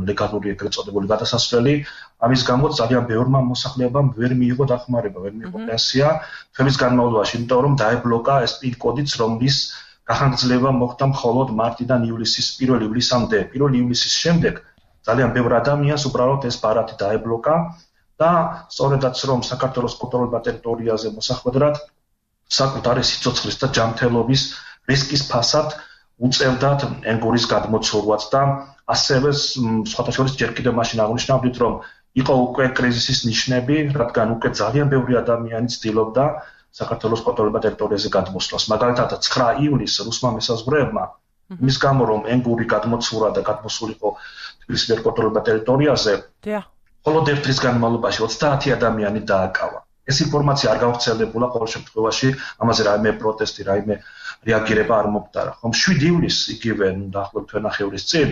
ლეგალური ეგრეთ წოდებული გადასასვლელი, ამის გამო ძალიან ბევრმა მოსახლეობამ ვერ მიიღო დახმარება, ვერ მიიღო პენსია თვეების განმავლობაში, იმიტომ რომ დაებლოკა ეს პინ-კოდიც, რომლის გახანგრძლივება მოხდა მხოლოდ მარტიდან ივლისის პირველ ივლისამდე. პირველ ივლისის შემდეგ ძალიან ბევრ ადამიანს უბრალოდ ეს ბარათი დაებლოკა და სწორედაც რომ საქართველოს კონტროლირებულ ტერიტორიაზე მოსახვედრად საკუთარი სიცოცხლის და ჯანმრთელობის რისკის ფასად უწევდათ ენგურის გადმოცურვაც და ასევე სხვათა შორის ჯერ კიდევ მაშინ აღნიშნავდით რომ იყო უკვე კრიზისის ნიშნები, რადგან უკვე ძალიან ბევრი ადამიანი ცდილობდა საქართველოს კონტროლებად ტერიტორიაზე გადმოსვლას. მაგალითად, ცხრა ივლისს რუსმა მესაზღვრეებმა იმის გამო რომ ენგური გადმოცურა და გადმოსულიყო თბილისის კონტროლებად ტერიტორიაზე, მხოლოდ ერთ დღის განმავლობაში ოცდაათი ადამიანი დააკავა. ეს ინფორმაცია არ გავრცელებულა ყოველ შემთხვევაში, ამაზე რაიმე პროტესტი, რაიმე რეაგირება არ მომხდარა. ხომ შვიდი ივლისს იგივე დაახლოებით თვენახევრის წინ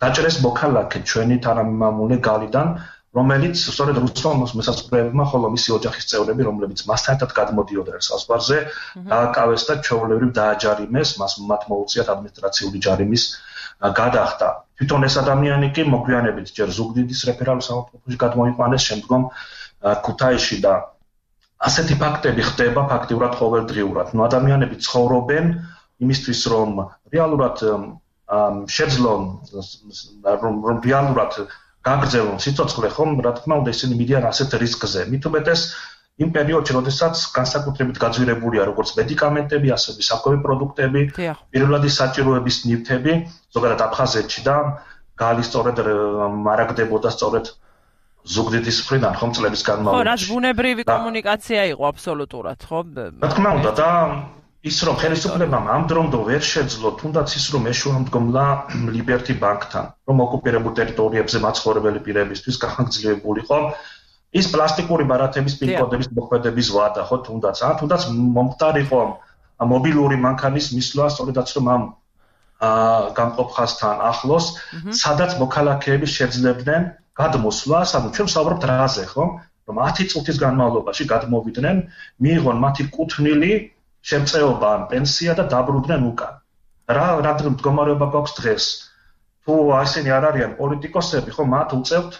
დაჭრეს მოქალაქე ჩვენი თანამემამულე გალიდან, რომელიც სწორედ რუსმა მესაზღვრეებმა ხოლო მისი ოჯახის წევრები, რომლებიც მასთან ერთად გადმოდიოდნენ საზღვარზე, დააკავეს და ჩვეულებრივ დააჯარიმეს, მას მათ მოუწიათ ადმინისტრაციული ჯარიმის გადახდა. თვითონ ეს ადამიანი კი მოგვიანებით ჯერ ზუგდიდის რეფერალურ სამართლოში გადმოიყვანეს, შემდგომ ქუთაისში და ასეთი ფაქტები ხდება ფაქტიურად ყოველდღიურად. ნუ ადამიანები ცხოვრობენ იმისთვის, რომ რეალურად შეძლონ, რომ რეალურად გაგრძელონ სიცოცხლე, ხომ, რა თქმა უნდა, ისინი მიდიან ასეთ რისკზე. მით უმეტეს იმ პერიოდში, როდესაც განსაკუთრებით გაძვირებულია როგორც მედიკამენტები, ასევე საკვები პროდუქტები, პირველადი საჭიროების ნივთები, ზოგადად აფხაზეთში და გალი სწორედ მარაგდებოდა სწორედ ზუგდიდის მხრიდან, ხომ, წლების განმავლობაში. ხო, რაც ბუნებრივი კომუნიკაცია იყო აბსოლუტურად, ხო? რა თქმა უნდა და ის რომ ხელისუფლებამ ამ დრომდო ვერ შეძლო, თუნდაც ის რომ ეშუამდგომლა ლიბერტი ბანკთან, რომ ოკუპირებულ ტერიტორიებზე მაცხოვრებელი პირებისთვის გახანგრძლივებულიყო ის პლასტიკური ბარათების პინკოდების მოქმედების ვადა, ხო, თუნდაც, ან თუნდაც მომხდარიყო მობილური მანქანის მისვლა, სწორედაც რომ ამ გამყოფ ხაზთან ახლოს, სადაც მოქალაქეები შეძლებდნენ გადმოსვლას, ანუ ჩვენ ვსაუბრობთ რაზე, ხო? რომ ათი წუთის განმავლობაში გადმოვიდნენ, მიიღონ მათი კუთვნილი შემწეობა ან პენსია და დაბრუნდნენ უკან. რა რა მდგომარეობა გვაქვს დღეს? თუ ასენი არ არიან პოლიტიკოსები, ხო, მათ უწევთ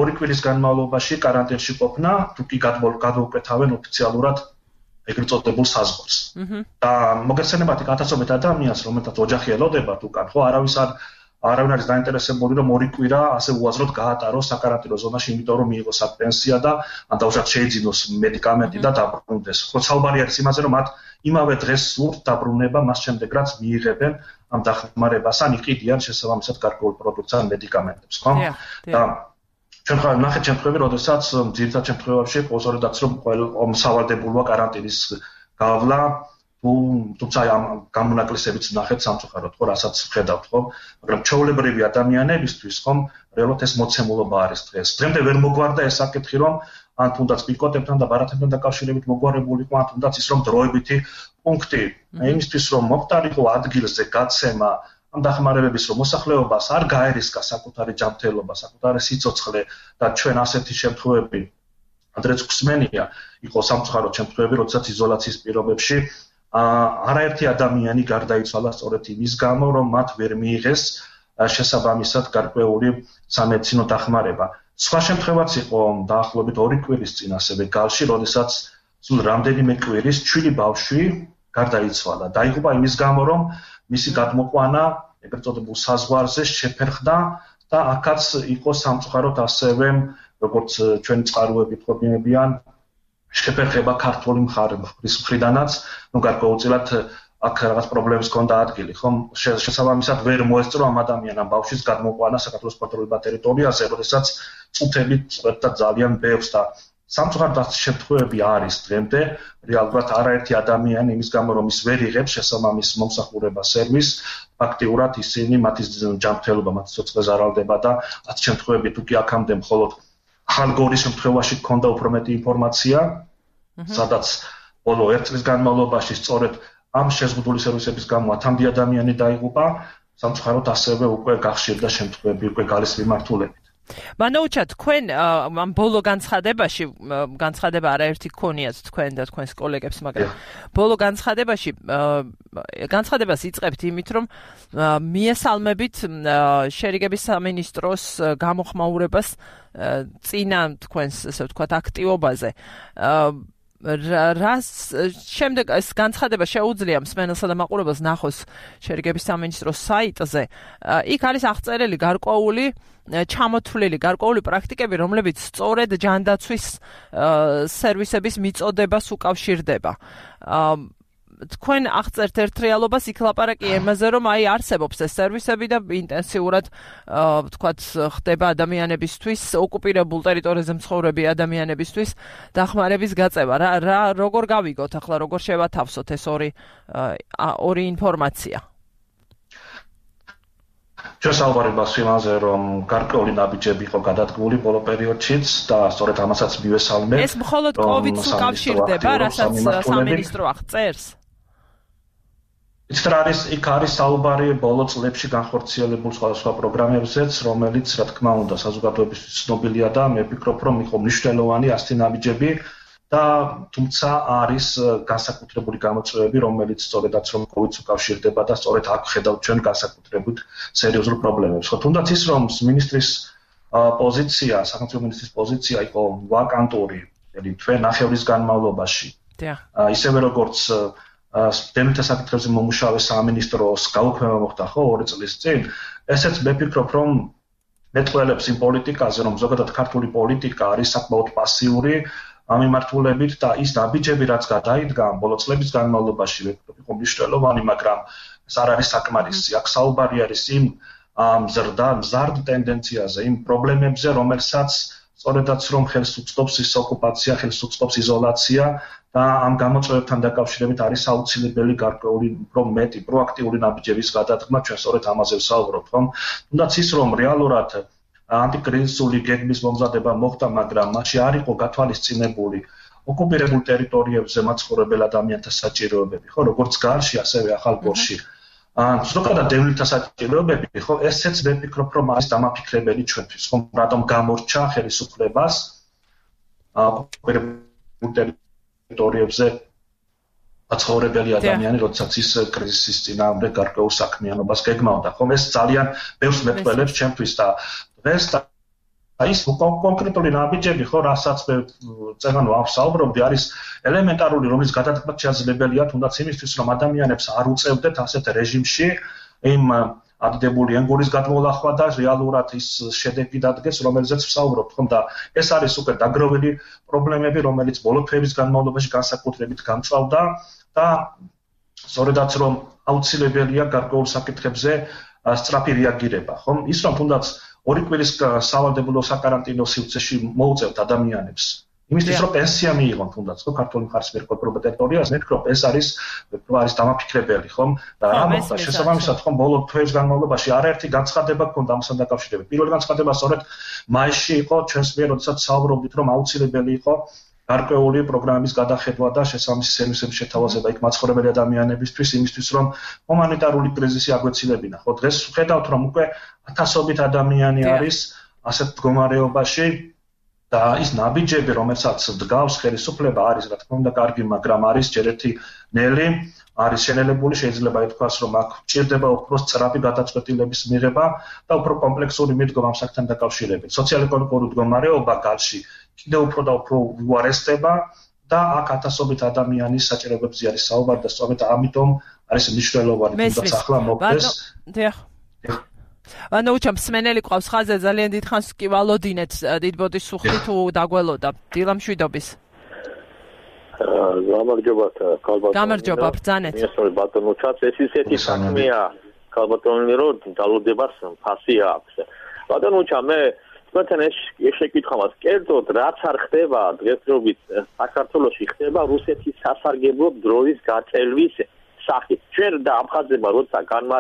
ორი კვირის განმავლობაში კარანტინში ყოფნა, თუ კი გადმოუკვეთავენ ოფიციალურად ეგრეთ წოდებულ საზღვარს. და მოგეცემებათ ათასობით ადამიანს, რომელთაც ოჯახი ელოდებათ უკან, ხო, არავის არ არავინ არის დაინტერესებული, რომ ორი კვირა ასე უაზროდ გაატაროს საკარანტინო ზონაში, იმიტომ რომ მიიღოს პენსია და ან დაუშვათ შეიძინოს მედიკამენტი და დაბრუნდეს. ხო, საუბარი არის იმაზე, რომ მათ იმავე დღეს სურთ დაბრუნება, მას შემდეგ რაც მიიღებენ ამ დახმარებას, ან იყიდიან შესაბამისად გარკვეულ პროდუქტს ან მედიკამენტებს, ხო? და ჩვენ ხარ ნახეთ შემთხვევები, როდესაც ძირითად შემთხვევებში ყოველდღიურად რომ ყოველ სავალდებულოა კარანტინის გავლა, თუ თუმცა ამ გამონაკლისებიც ნახეთ სამწუხაროდ, ხო, რასაც ვხედავთ, ხო? მაგრამ ჩვეულებრივი ადამიანებისთვის, ხომ, რეალურად ეს მოცემულობა არის დღეს. დღემდე ვერ მოგვარდა ეს საკითხი, რომ ან თუნდაც პიკოტებთან და ბარათებთან დაკავშირებით მოგვარებულიყო, ან თუნდაც ის რომ დროებითი პუნქტი, იმისთვის რომ მომხდარიყო ადგილზე გაცემა ამ დახმარებების რომ მოსახლეობას არ გაერისკა საკუთარი ჯანმრთელობა, საკუთარი სიცოცხლე და ჩვენ ასეთი შემთხვევები ადრეც გვსმენია, იყო სამწუხაროდ შემთხვევები, როდესაც იზოლაციის პირობებში არაერთი ადამიანი გარდაიცვალა სწორედ იმის გამო, რომ მათ ვერ მიიღეს შესაბამისად გარკვეული სამედიცინო დახმარება. სხვა შემთხვევაც იყო დაახლოებით ორი კვირის წინ ასევე გალში, როდესაც სულ რამდენიმე კვირის ჩვილი ბავშვი გარდაიცვალა. დაიღუპა იმის გამო, რომ მისი გადმოყვანა ეგრეთ წოდებულ საზღვარზე შეფერხდა და აქაც იყო სამწუხაროდ ასევე, როგორც ჩვენი წყაროები თქობინებიან, შეფერხება ქართული მხარის მხრიდანაც, ну გარკვეულწილად აქ რაღაც პრობლემის ჰქონდა ადგილი, ხომ? შესაბამისად ვერ მოესწრო ამ ადამიანამ ბავშვის გადმოყვანა საქართველოს კონტროლებად ტერიტორიაზე, როდესაც წუთები წვეთდა ძალიან ბევრს და სამწუხაროდ ასეთი შემთხვევები არის დღემდე, რეალურად არაერთი ადამიანი იმის გამო რომ ის ვერ იღებს შესაბამის მომსახურება სერვისს, ფაქტიურად ისინი მათი ჯანმრთელობა, მათი სიცოცხლე ზარალდება და ასეთი შემთხვევები თუ კი აქამდე მხოლოდ ხალგორის შემთხვევაში ჰქონდა უფრო მეტი ინფორმაცია, სადაც ბოლო ერთ წლის განმავლობაში სწორედ ამ შეზღუდული სერვისების გამო ათამდე ადამიანი დაიღუპა, სამწუხაროდ ასევე უკვე გახშირდა შემთხვევები უკვე გალის მიმართულებით. მანოუჩა, თქვენ ამ ბოლო განცხადებაში, განცხადება არაერთი გქონიათ თქვენ და თქვენს კოლეგებს, მაგრამ ბოლო განცხადებაში განცხადებას იწყებთ იმით, რომ მიესალმებით შერიგების სამინისტროს გამოხმაურებას წინა თქვენს, ასე ვთქვათ, აქტივობაზე. რას შემდეგ ეს განცხადება შეუძლია მსმენელსა და მაყურებელს ნახოს შერიგების სამინისტროს საიტზე. იქ არის აღწერილი გარკვეული ჩამოთვლილი გარკვეული პრაქტიკები, რომლებიც სწორედ ჯანდაცვის სერვისების მიწოდებას უკავშირდება. თქვენ აღწერთ ერთ რეალობას, იქ ლაპარაკი იმაზე, რომ აი არსებობს ეს სერვისები და ინტენსიურად ვთქვათ ხდება ადამიანებისთვის, ოკუპირებულ ტერიტორიაზე მცხოვრები ადამიანებისთვის დახმარების გაწევა. რა რა როგორ გავიგოთ ახლა, როგორ შევათავსოთ ეს ორი ორი ინფორმაცია? ჩვენ საუბარებას იმაზე, რომ გარკვეული ნაბიჯები იყო გადადგმული ბოლო პერიოდშიც და სწორედ ამასაც მივესალმე. ეს მხოლოდ კოვიდს უკავშირდება, რასაც სამინისტრო აღწერს? იცით რა არის, იქ არის საუბარი ბოლო წლებში განხორციელებულ სხვადასხვა პროგრამებზეც, რომელიც რა თქმა უნდა საზოგადოებისთვის ცნობილია და მე ვფიქრობ, რომ იყო მნიშვნელოვანი ასეთი ნაბიჯები. და თუმცა არის განსაკუთრებული გამოწვევები, რომელიც სწორედაც რომ კოვიდს უკავშირდება და სწორედ აქ ხედავთ ჩვენ განსაკუთრებით სერიოზულ პრობლემებს. ხო, თუნდაც ის რომ მინისტრის პოზიცია, სახელმწიფო მინისტრის პოზიცია იყო ვაკანტური, δηλαδή თვე ნახევრის განმავლობაში. ისევე როგორც დევნილთა საკითხებზე მომუშავე სამინისტროს გაუქმება მოხდა ხო ორი წლის წინ, ესეც მე ვფიქრობ, რომ მეტყველებს იმ პოლიტიკაზე, რომ ზოგადად ქართული პოლიტიკა არის საკმაოდ პასიური ამ მიმართულებით და ის ნაბიჯები, რაც გადაიდგა ბოლო წლების განმავლობაში, იყო მნიშვნელოვანი, მაგრამ ეს არ არის საკმარისი. აქ საუბარი არის იმ მზრდა, მზარდ ტენდენციაზე, იმ პრობლემებზე, რომელსაც სწორედაც რომ ხელს უწყობს ის ოკუპაცია, ხელს უწყობს იზოლაცია და ამ გამოწვევებთან დაკავშირებით არის აუცილებელი გარკვეული უფრო მეტი პროაქტიული ნაბიჯების გადადგმა, ჩვენ სწორედ ამაზე ვსაუბრობთ, ხომ? თუნდაც ის რომ რეალურად ანტიკრიზისული გეგმის მომზადება მოხდა, მაგრამ მასში არ იყო გათვალისწინებული ოკუპირებულ ტერიტორიებზე მაცხოვრებელ ადამიანთა საჭიროებები, ხო, როგორც გარში, ასევე ახალგორში. ან ზოგადად დევნილთა საჭიროებები, ხო, ესეც მე ვფიქრობ, რომ არის დამაფიქრებელი ჩვენთვის, ხო, რატომ გამორჩა ხელისუფლებას ოკუპირებულ ტერიტორიებზე მაცხოვრებელი ადამიანი, როდესაც ის კრიზისის წინააღმდეგ გარკვეულ საქმიანობას გეგმავდა, ხო, ეს ძალიან ბევრს მეტყველებს ჩემთვის და ეს და ის კონკრეტული ნაბიჯები ხო რასაც მე წეგანო ავსაუბრობდი არის ელემენტარული რომლის გადადგმა შესაძლებელია თუნდაც იმისთვის რომ ადამიანებს არ უწევდეთ ასეთ რეჟიმში იმ ადიდებული ენგურის გადმოლახვა და რეალურად ის შედეგი დადგეს რომელზეც ვსაუბრობთ ხომ და ეს არის უკვე დაგროვილი პრობლემები რომელიც ბოლო თვეების განმავლობაში განსაკუთრებით გამწვავდა და სწორედაც რომ აუცილებელია გარკვეულ საკითხებზე სწრაფი რეაგირება ხომ ის რომ თუნდაც ორი კვირის სავალდებულო საკარანტინო სივრცეში მოუწევთ ადამიანებს. იმისთვის რომ პენსია მიიღონ თუნდაც ხო ქართული მხარის მიერ კონტროლირებულ ტერიტორიაზე, მე ვფიქრობ ეს არის არის დამაფიქრებელი ხომ და რა მოხდა შესაბამისად ხომ ბოლო თვეების განმავლობაში არაერთი განცხადება ჰქონდა ამასთან დაკავშირებით. პირველი განცხადება სწორედ მაისში იყო ჩვენს მიერ, როდესაც საუბრობდით რომ აუცილებელი იყო გარკვეული პროგრამის გადახედვა და შესაბამისი სერვისების შეთავაზება იქ მაცხოვრებელი ადამიანებისთვის, იმისთვის რომ ჰუმანიტარული კრიზისი აგვეცილებინა. ხო დღეს ვხედავთ რომ უკვე ათასობით ადამიანი არის ასეთ მდგომარეობაში და ის ნაბიჯები, რომელსაც დგავს ხელისუფლება არის რა თქმა უნდა კარგი, მაგრამ არის ჯერ ერთი ნელი, არის შენელებული, შეიძლება ითქვას რომ აქ ჭირდება უფრო სწრაფი გადაწყვეტილების მიღება და უფრო კომპლექსური მიდგომა ამ საკითხთან დაკავშირებით. სოციალ-ეკონომიკური მდგომარეობა გარში კიდევ უფრო და უფრო უარესდება და აქ ათასობით ადამიანის საჭიროებებზე არის საუბარი და სწორედ ამიტომ არის მნიშვნელოვანი თუნდაც ახლა მოხდეს. ანუ უჩამ სმენელი ყავს ხაზე ძალიან დიდხანს კი ვალოდინეთ დიდბოდის სუხი თუ დაგველოდა დილა მშვიდობის. გამარჯობა ქალბატონო. გამარჯობა ბრძანეთ. მესწორე ბატონო ჩაც ეს ისეთი საქმეა ქალბატონო რომ დალოდებას ფასი აქვს. ბატონო ჩა მე თქვენ ეს შეკითხავთ კერძოდ რაც არ ხდება დღესდღეობით საქართველოში ხდება რუსეთის სასარგებლო დროის გაწელვის სახით. ჩვენ და აფხაზება როცა განმა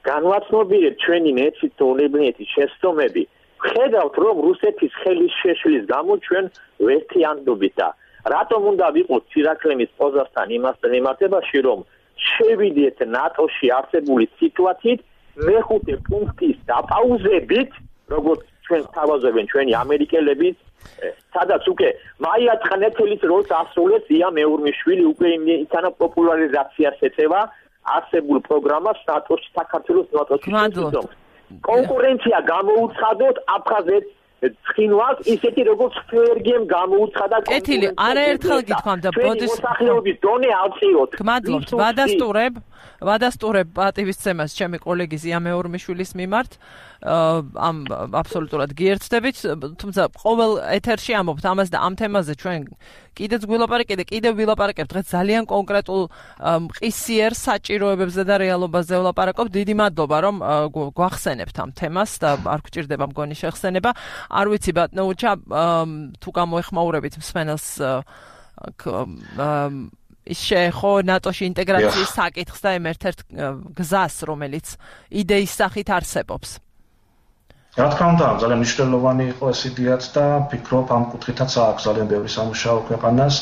განვაცნობიერებ ჩვენი მეცნიერული შეცდომები, ხედავთ რომ რუსეთის ხელის შეშლის გამო ჩვენ ვერთიანდობით და რატომ უნდა ვიყოთ ცირაქლემის პოზასთან იმასთან მიმართებაში, რომ შევიდეთ ნატოში არსებული სიტუაციით მეხუთე პუნქტის დაპაუზებით, როგორც ჩვენ თავაზობენ ჩვენი ამერიკელები, სადაც უკვე მაია ცხნეთელის როლს ასრულებს ია მეურმიშვილი უკვე იმითანა პოპულარიზაციას ეწევა არსებულ პროგრამას ნატოში საქართველოს ნატოში. კონკურენცია გამოუცხადოთ აფხაზეთს ცხინვალს ისეთი როგორც ფერგემ გამოუცხადა კეთილი არაერთხელ გითხოვდა ბოდის მოსახლეობის დონე ავწიოთ. გმადლობთ ვადასტურებ ვადასტურებ პატივისცემას ჩემი კოლეგის ია მეურმიშვილის მიმართ ამ აბსოლუტურად გიერთდებით, თუმცა ყოველ ეთერში ამობთ ამას და ამ თემაზე ჩვენ კიდეც გვილაპარაკეთ და კიდევ ვილაპარაკებთ დღეს ძალიან კონკრეტულ მყისიერ საჭიროებებზე და რეალობაზე ვლაპარაკობთ. დიდი მადლობა რომ გვახსენებთ ამ თემას და არ გვჭირდება მგონი შეხსენება. არ ვიცი ბატონო უჩა თუ გამოეხმაურებით მსმენელს ის შეეხო ნატოში ინტეგრაციის საკითხს და იმ ერთ-ერთ გზას, რომელიც იდეის სახით არსებობს. რა თქმა უნდა, ძალიან მნიშვნელოვანი იყო ეს იდეაც და ფიქრობ ამ კუთხითაც აქვს ძალიან ბევრი სამუშაო ქვეყანას,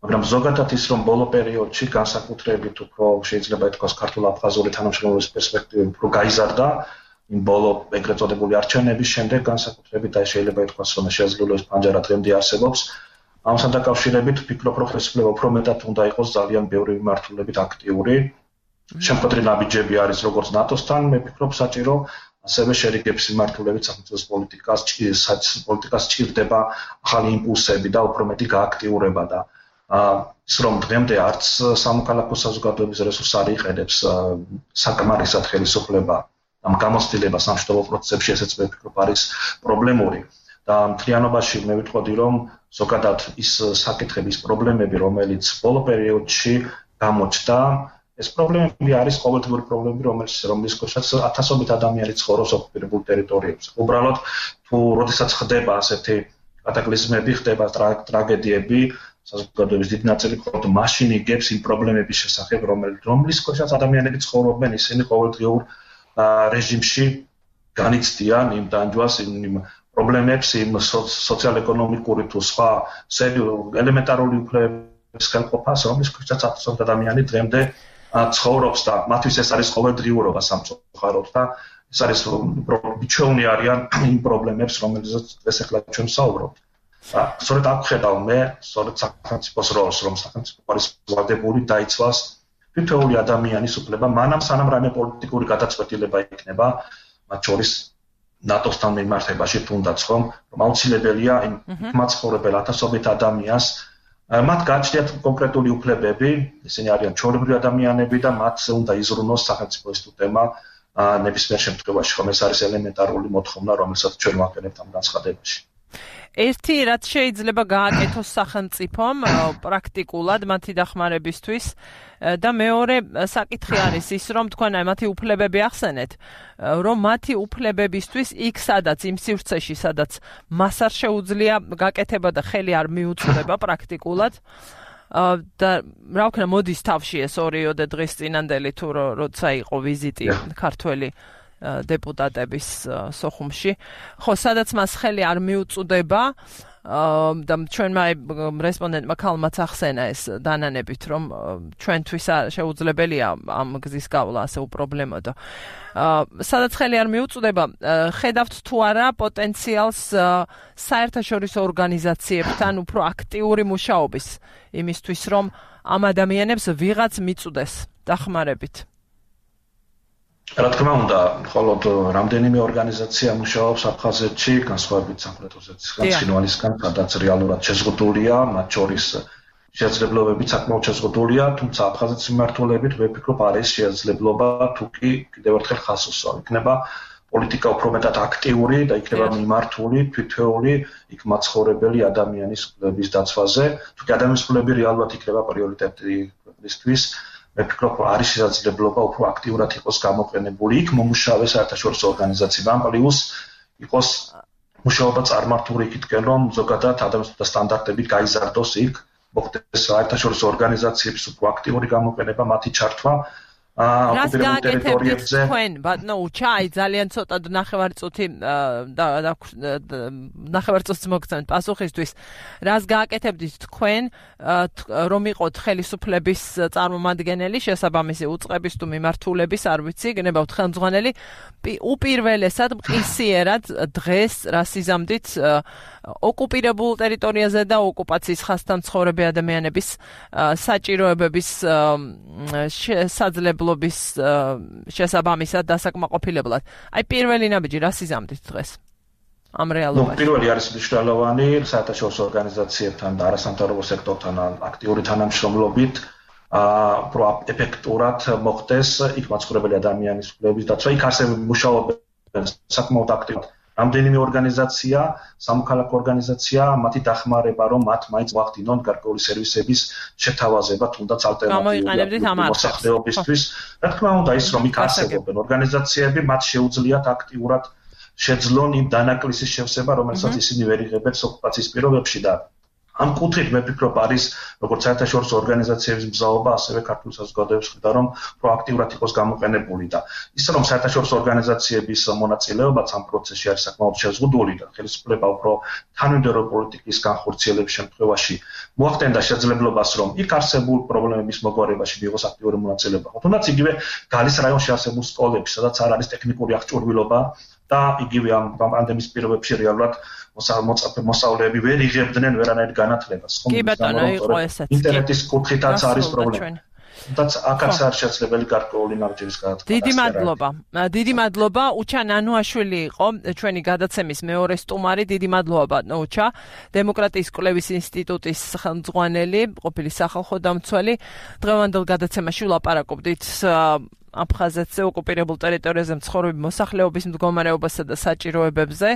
მაგრამ ზოგადად ის რომ ბოლო პერიოდში განსაკუთრებით უფრო შეიძლება ითქვას ქართულ-აფხაზური თანამშრომლობის პერსპექტივები უფრო გაიზარდა იმ ბოლო ეგრეთ წოდებული არჩევნების შემდეგ განსაკუთრებით და შეიძლება ითქვას რომ შესაძლებლობის პანჯარა დღემდე არსებობს. ამასთან დაკავშირებით ფიქრობ რომ ხელისუფლება უფრო მეტად უნდა იყოს ძალიან ბევრი მიმართულებით აქტიური. შემკვეთრი ნაბიჯები არის როგორც ნატოსთან, მე ფიქრობ საჭირო ასევე შერიგების მიმართულებით სახელმწიფოს პოლიტიკას, პოლიტიკას ჭირდება ახალი იმპულსები და უფრო მეტი გააქტიურება და ის რომ დღემდე არც სამოქალაქო საზოგადოების რესურს არ იყენებს საკმარისად ხელისუფლება ამ გამოცდილებას სამშვიდობო პროცესებში, ესეც მე ფიქრობ არის პრობლემური. და მთლიანობაში მე ვიტყოდი რომ ზოგადად ის საკითხების პრობლემები, რომელიც ბოლო პერიოდში გამოჩნდა, ეს პრობლემები არის ყოველდღიური პრობლემები, რომელიც რომლის ქვეშაც ათასობით ადამიანი ცხოვრობს ოკუპირებულ ტერიტორიებზე. უბრალოდ თუ როდესაც ხდება ასეთი კატაკლიზმები, ხდება ტრაგედიები, საზოგადოების დიდი ნაწილი მხოლოდ მაშინ იგებს იმ პრობლემების შესახებ, რომლის ქვეშაც ადამიანები ცხოვრობენ, ისინი ყოველდღიურ რეჟიმში განიცდიან იმ დანჯვას, იმ პრობლემებს, იმ სოციალ-ეკონომიკური თუ სხვა ელემენტარული უფლებების ხელყოფას, რომლის ქვეშაც ათასობით ადამიანი დღემდე ცხოვრობს და მათთვის ეს არის ყოველდღიურობა სამწუხაროდ და ეს არის მიჩვეულნი არიან იმ პრობლემებს, რომელზეც დღეს ახლა ჩვენ ვსაუბრობთ. სწორედ აქ ვხედავ მე, სწორედ სახელმწიფოს როლს, რომ სახელმწიფო არის ვალდებული დაიცვას თითოეული ადამიანის უფლება, მანამ სანამ რაიმე პოლიტიკური გადაწყვეტილება იქნება, მათ შორის ნატოსთან მიმართებაში თუნდაც ხომ, რომ აუცილებელია იმ მაცხოვრებელ ათასობით ადამიანს მათ გააჩნიათ კონკრეტული უფლებები, ისინი არიან ჩვეულებრივი ადამიანები და მათზე უნდა იზრუნოს სახელმწიფო ინსტიტუტებმა ნებისმიერ შემთხვევაში, ხომ ეს არის ელემენტარული მოთხოვნა, რომელსაც ჩვენ ვაკეთებთ ამ განცხადებაში. ერთი რაც შეიძლება გააკეთოს სახელმწიფომ პრაქტიკულად მათი დახმარებისთვის და მეორე საკითხი არის ის რომ თქვენ აი მათი უფლებები ახსენეთ რომ მათი უფლებებისთვის იქ სადაც იმ სივრცეში სადაც მას არ შეუძლია გაკეთება და ხელი არ მიუწვდება პრაქტიკულად და რა ვქნა მოდის თავში ეს ორიოდე დღის წინანდელი თუ როცა იყო ვიზიტი ქართველი დეპუტატების სოხუმში. ხო, სადაც მას ხელი არ მიუწვდება და ჩვენმა რესპონდენტმა ქალმაც ახსენა ეს დანანებით, რომ ჩვენთვის შეუძლებელია ამ გზის გავლა ასე უპრობლემოდო. სადაც ხელი არ მიუწვდება, ხედავთ თუ არა პოტენციალს საერთაშორისო ორგანიზაციებთან უფრო აქტიური მუშაობის იმისთვის, რომ ამ ადამიანებს ვიღაც მიწვდეს დახმარებით. რა თქმა უნდა, მხოლოდ რამდენიმე ორგანიზაცია მუშაობს აფხაზეთში, განსხვავებით სამხრეთ ოსეთის ცხინვალისგან, სადაც რეალურად შეზღუდულია, მათ შორის შესაძლებლობებით საკმაოდ შეზღუდულია, თუმცა აფხაზეთის მიმართულებით მე ვფიქრობ არის შესაძლებლობა თუ კი კიდევ ერთხელ ხაზს უსვამ. იქნება პოლიტიკა უფრო მეტად აქტიური და იქნება მიმართული თითოეული იქ მაცხოვრებელი ადამიანის უფლების დაცვაზე, თუ კი ადამიანის უფლები რეალურად იქნება პრიორიტეტი ქვეყნისთვის. მე ვფიქრობ, არის შესაძლებლობა უფრო აქტიურად იყოს გამოყენებული იქ მომუშავე საერთაშორისო ორგანიზაციებთან, პლუს იყოს მუშაობა წარმართული იქითკენ, რომ ზოგადად ადამიანთა სტანდარტები გაიზარდოს იქ, მოხდეს საერთაშორისო ორგანიზაციების უფრო აქტიური გამოყენება, მათი ჩართვა რას გააკეთებთ თქვენ, ბატონო უჩა, აი ძალიან ცოტა ნახევარწუთი და ნახევარწუთს მოგცემთ პასუხისთვის. რას გააკეთებთ თქვენ, რომ იყოთ ხელისუფლების წარმომადგენელი, შესაბამისი უწყების თუ მიმართულების, არ ვიცი, გნებავთ ხელმძღვანელი, უპირველესად მყისიერად დღეს რას იზამთით ოკუპირებულ ტერიტორიაზე და ოკუპაციის ხაზთან მცხოვრები ადამიანების საჭიროებების შესაძლებლობის შესაბამისად დასაკმაყოფილებლად. აი პირველი ნაბიჯი რას იზამთით დღეს ამ რეალობაში? ნუ პირველი არის მნიშვნელოვანი საერთაშორისო ორგანიზაციებთან და არასამთავრობო სექტორთან აქტიური თანამშრომლობით უფრო ეფექტურად მოხდეს იქ მაცხოვრებელი ადამიანის უფლებების დაცვა. იქ ასევე მუშაობენ საკმაოდ აქტიურად. რამდენიმე ორგანიზაცია, სამოქალაქო ორგანიზაცია, მათი დახმარება, რომ მათ მაინც მოახდინონ გარკვეული სერვისების შეთავაზება, თუნდაც ალტერნატიული მოსახლეობისთვის. რა თქმა უნდა, ის რომ იქ არსებობენ ორგანიზაციები, მათ შეუძლიათ აქტიურად შეძლონ იმ დანაკლისის შევსება, რომელსაც ისინი ვერ იღებენ ოკუპაციის პირობებში და ამ კუთხით მე ვფიქრობ არის როგორც საერთაშორისო ორგანიზაციების მზაობა, ასევე ქართულ საზოგადოების მხრიდან რომ პროაქტიურად იყოს გამოყენებული და ის რომ საერთაშორისო ორგანიზაციების მონაწილეობაც ამ პროცესში არის საკმაოდ შეზღუდული და ხელისუფლება უფრო თანმიმდევრო პოლიტიკის განხორციელების შემთხვევაში მოახდენდა შესაძლებლობას რომ იქ არსებულ პრობლემების მოგვარებაში მიიღოს აქტიური მონაწილეობა. თუნდაც იგივე გალის რაიონში არსებულ სკოლებში, სადაც არ არის ტექნიკური აღჭურვილობა და იგივე ამ პანდემიის პირობებში რეალურად მოსწავლეები ვერ იღებდნენ ვერანაირ განათლებას. კი ბატონო, იყო ესეც. ინტერნეტის კუთხითაც არის პრობლემა. თუმცა აქაც არ შესაძლებელი გარკვეული ნაბიჯების განათლება. დიდი მადლობა. დიდი მადლობა. უჩა ნანუაშვილი იყო ჩვენი გადაცემის მეორე სტუმარი. დიდი მადლობა ბატონო უჩა. დემოკრატიის კვლევის ინსტიტუტის ხელმძღვანელი, ყოფილი სახალხო დამცველი. დღევანდელ გადაცემაში ვლაპარაკობდით აფხაზეთზე ოკუპირებულ ტერიტორიაზე მცხოვრები მოსახლეობის მდგომარეობასა და საჭიროებებზე.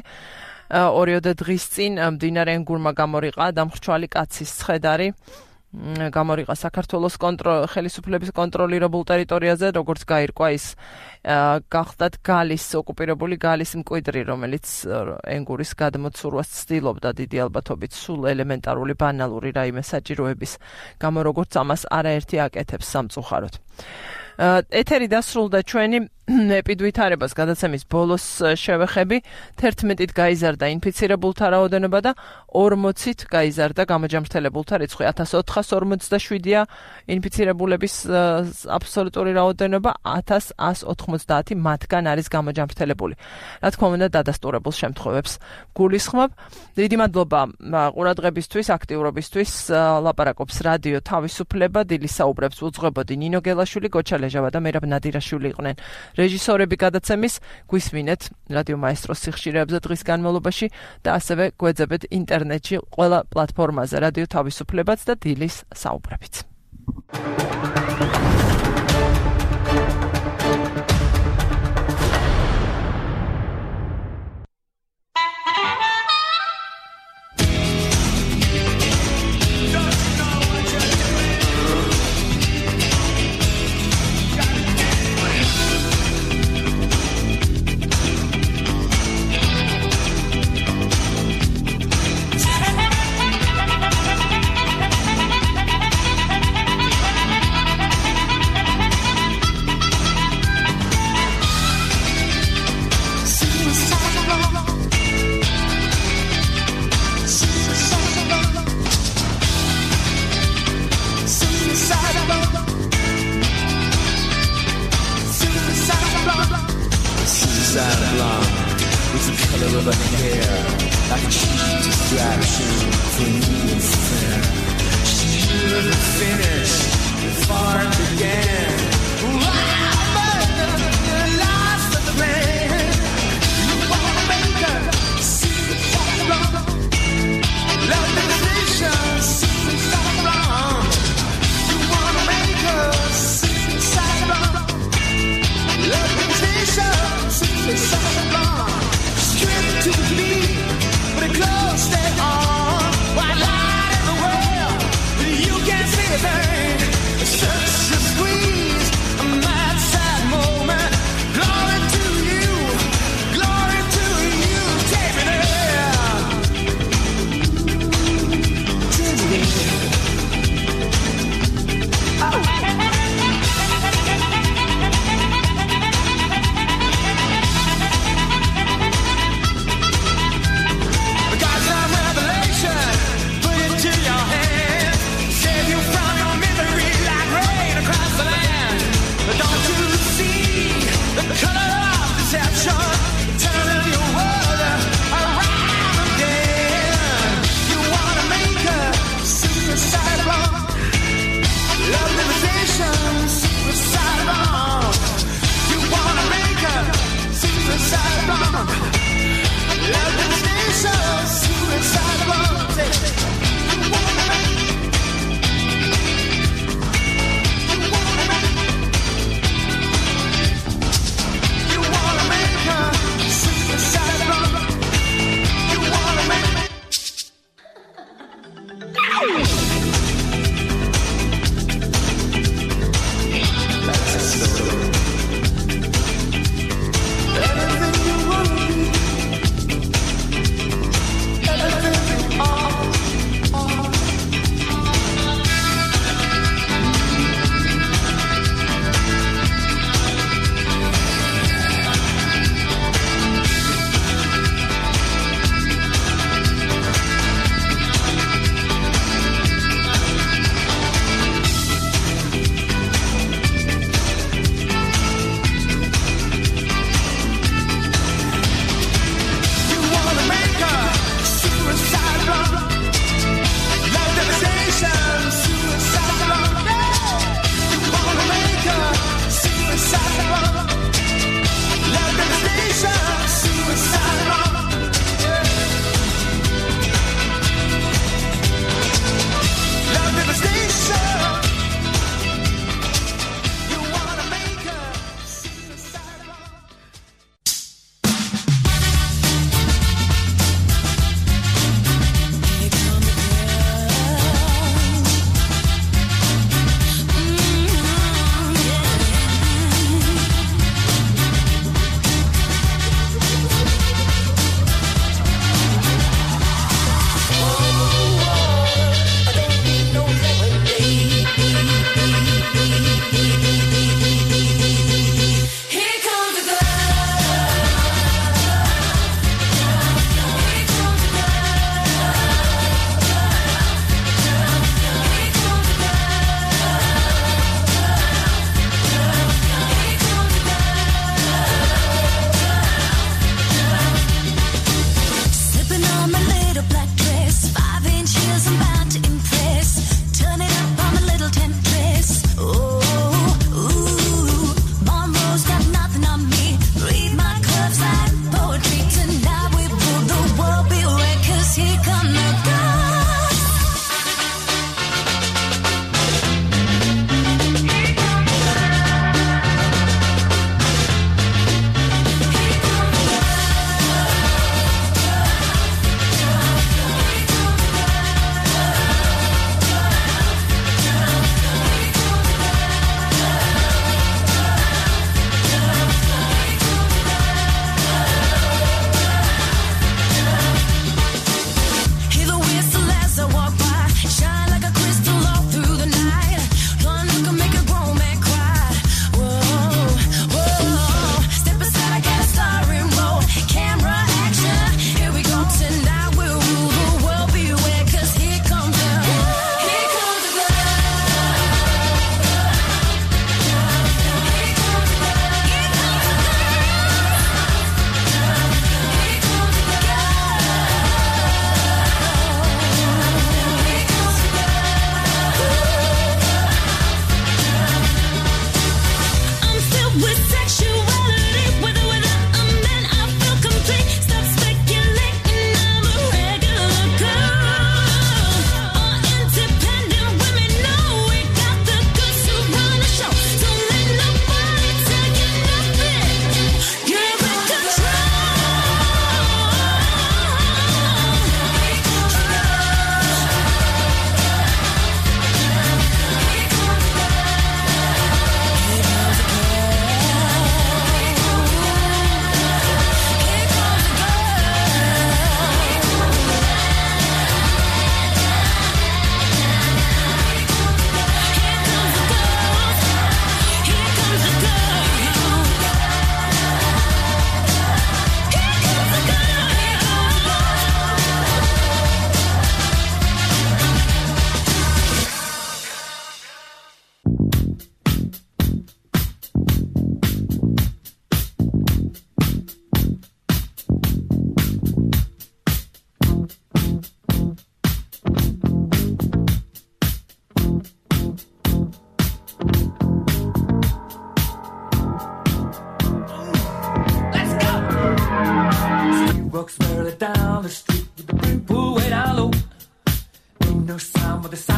ორიოდე დღის წინ მდინარე ენგურმა გამორიყა დამხრჩვალი კაცის ცხედარი. გამორიყა საქართველოს ხელისუფლების კონტროლირებულ ტერიტორიაზე, როგორც გაირკვა ის გახდათ გალის ოკუპირებული გალის მკვიდრი, რომელიც ენგურის გადმოცურვას ცდილობდა დიდი ალბათობით სულ ელემენტარული ბანალური რაიმე საჭიროების გამო, როგორც ამას არაერთი აკეთებს სამწუხაროდ. ეთერი დასრულდა ჩვენი ეპიდვითარებას გადაცემის ბოლოს შევეხები. თერთმეტით გაიზარდა ინფიცირებულთა რაოდენობა და ორმოცით გაიზარდა გამოჯამრთელებულთა რიცხვი. ათას ოთხას ორმოცდაშვიდია ინფიცირებულების აბსოლუტური რაოდენობა, ათას ას ოთხმოცდაათი მათგან არის გამოჯამრთელებული. რა თქმა უნდა, დადასტურებულ შემთხვევებს გულისხმობ. დიდი მადლობა ყურადღებისთვის, აქტიურობისთვის. ლაპარაკობს რადიო თავისუფლება, დილის საუბრებს უძღვებოდი ნინო გელაშვილი, გოჩა ლეჟავა და მერაბ ნადირაშვილი იყვნენ რეჟისორები გადაცემის. გვისმინეთ რადიო მაესტროს სიხშირეებზე დღის განმავლობაში და ასევე გვეძებეთ ინტერნეტში ყველა პლატფორმაზე რადიო თავისუფლებაც და დილის საუბრებიც. Close their arms, while light in the world, you can't see a thing.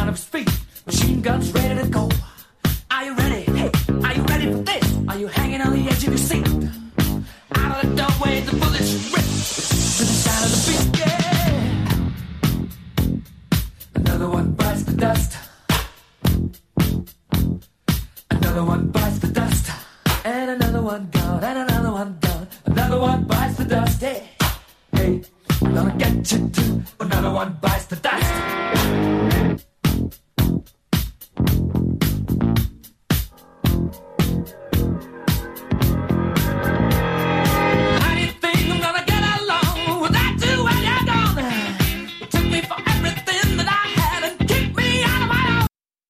of speed. Machine guns ready to go. Are you ready? Hey, are you ready for this? Are you hanging on the edge of your seat? Out of the doorway, the bullets rip to the sound of the beat. Yeah. Another one bites the dust. Another one bites the dust. And another one gone. And another one gone. Another one bites the dust. Hey, hey, I'm gonna get you too. Another one bites the dust.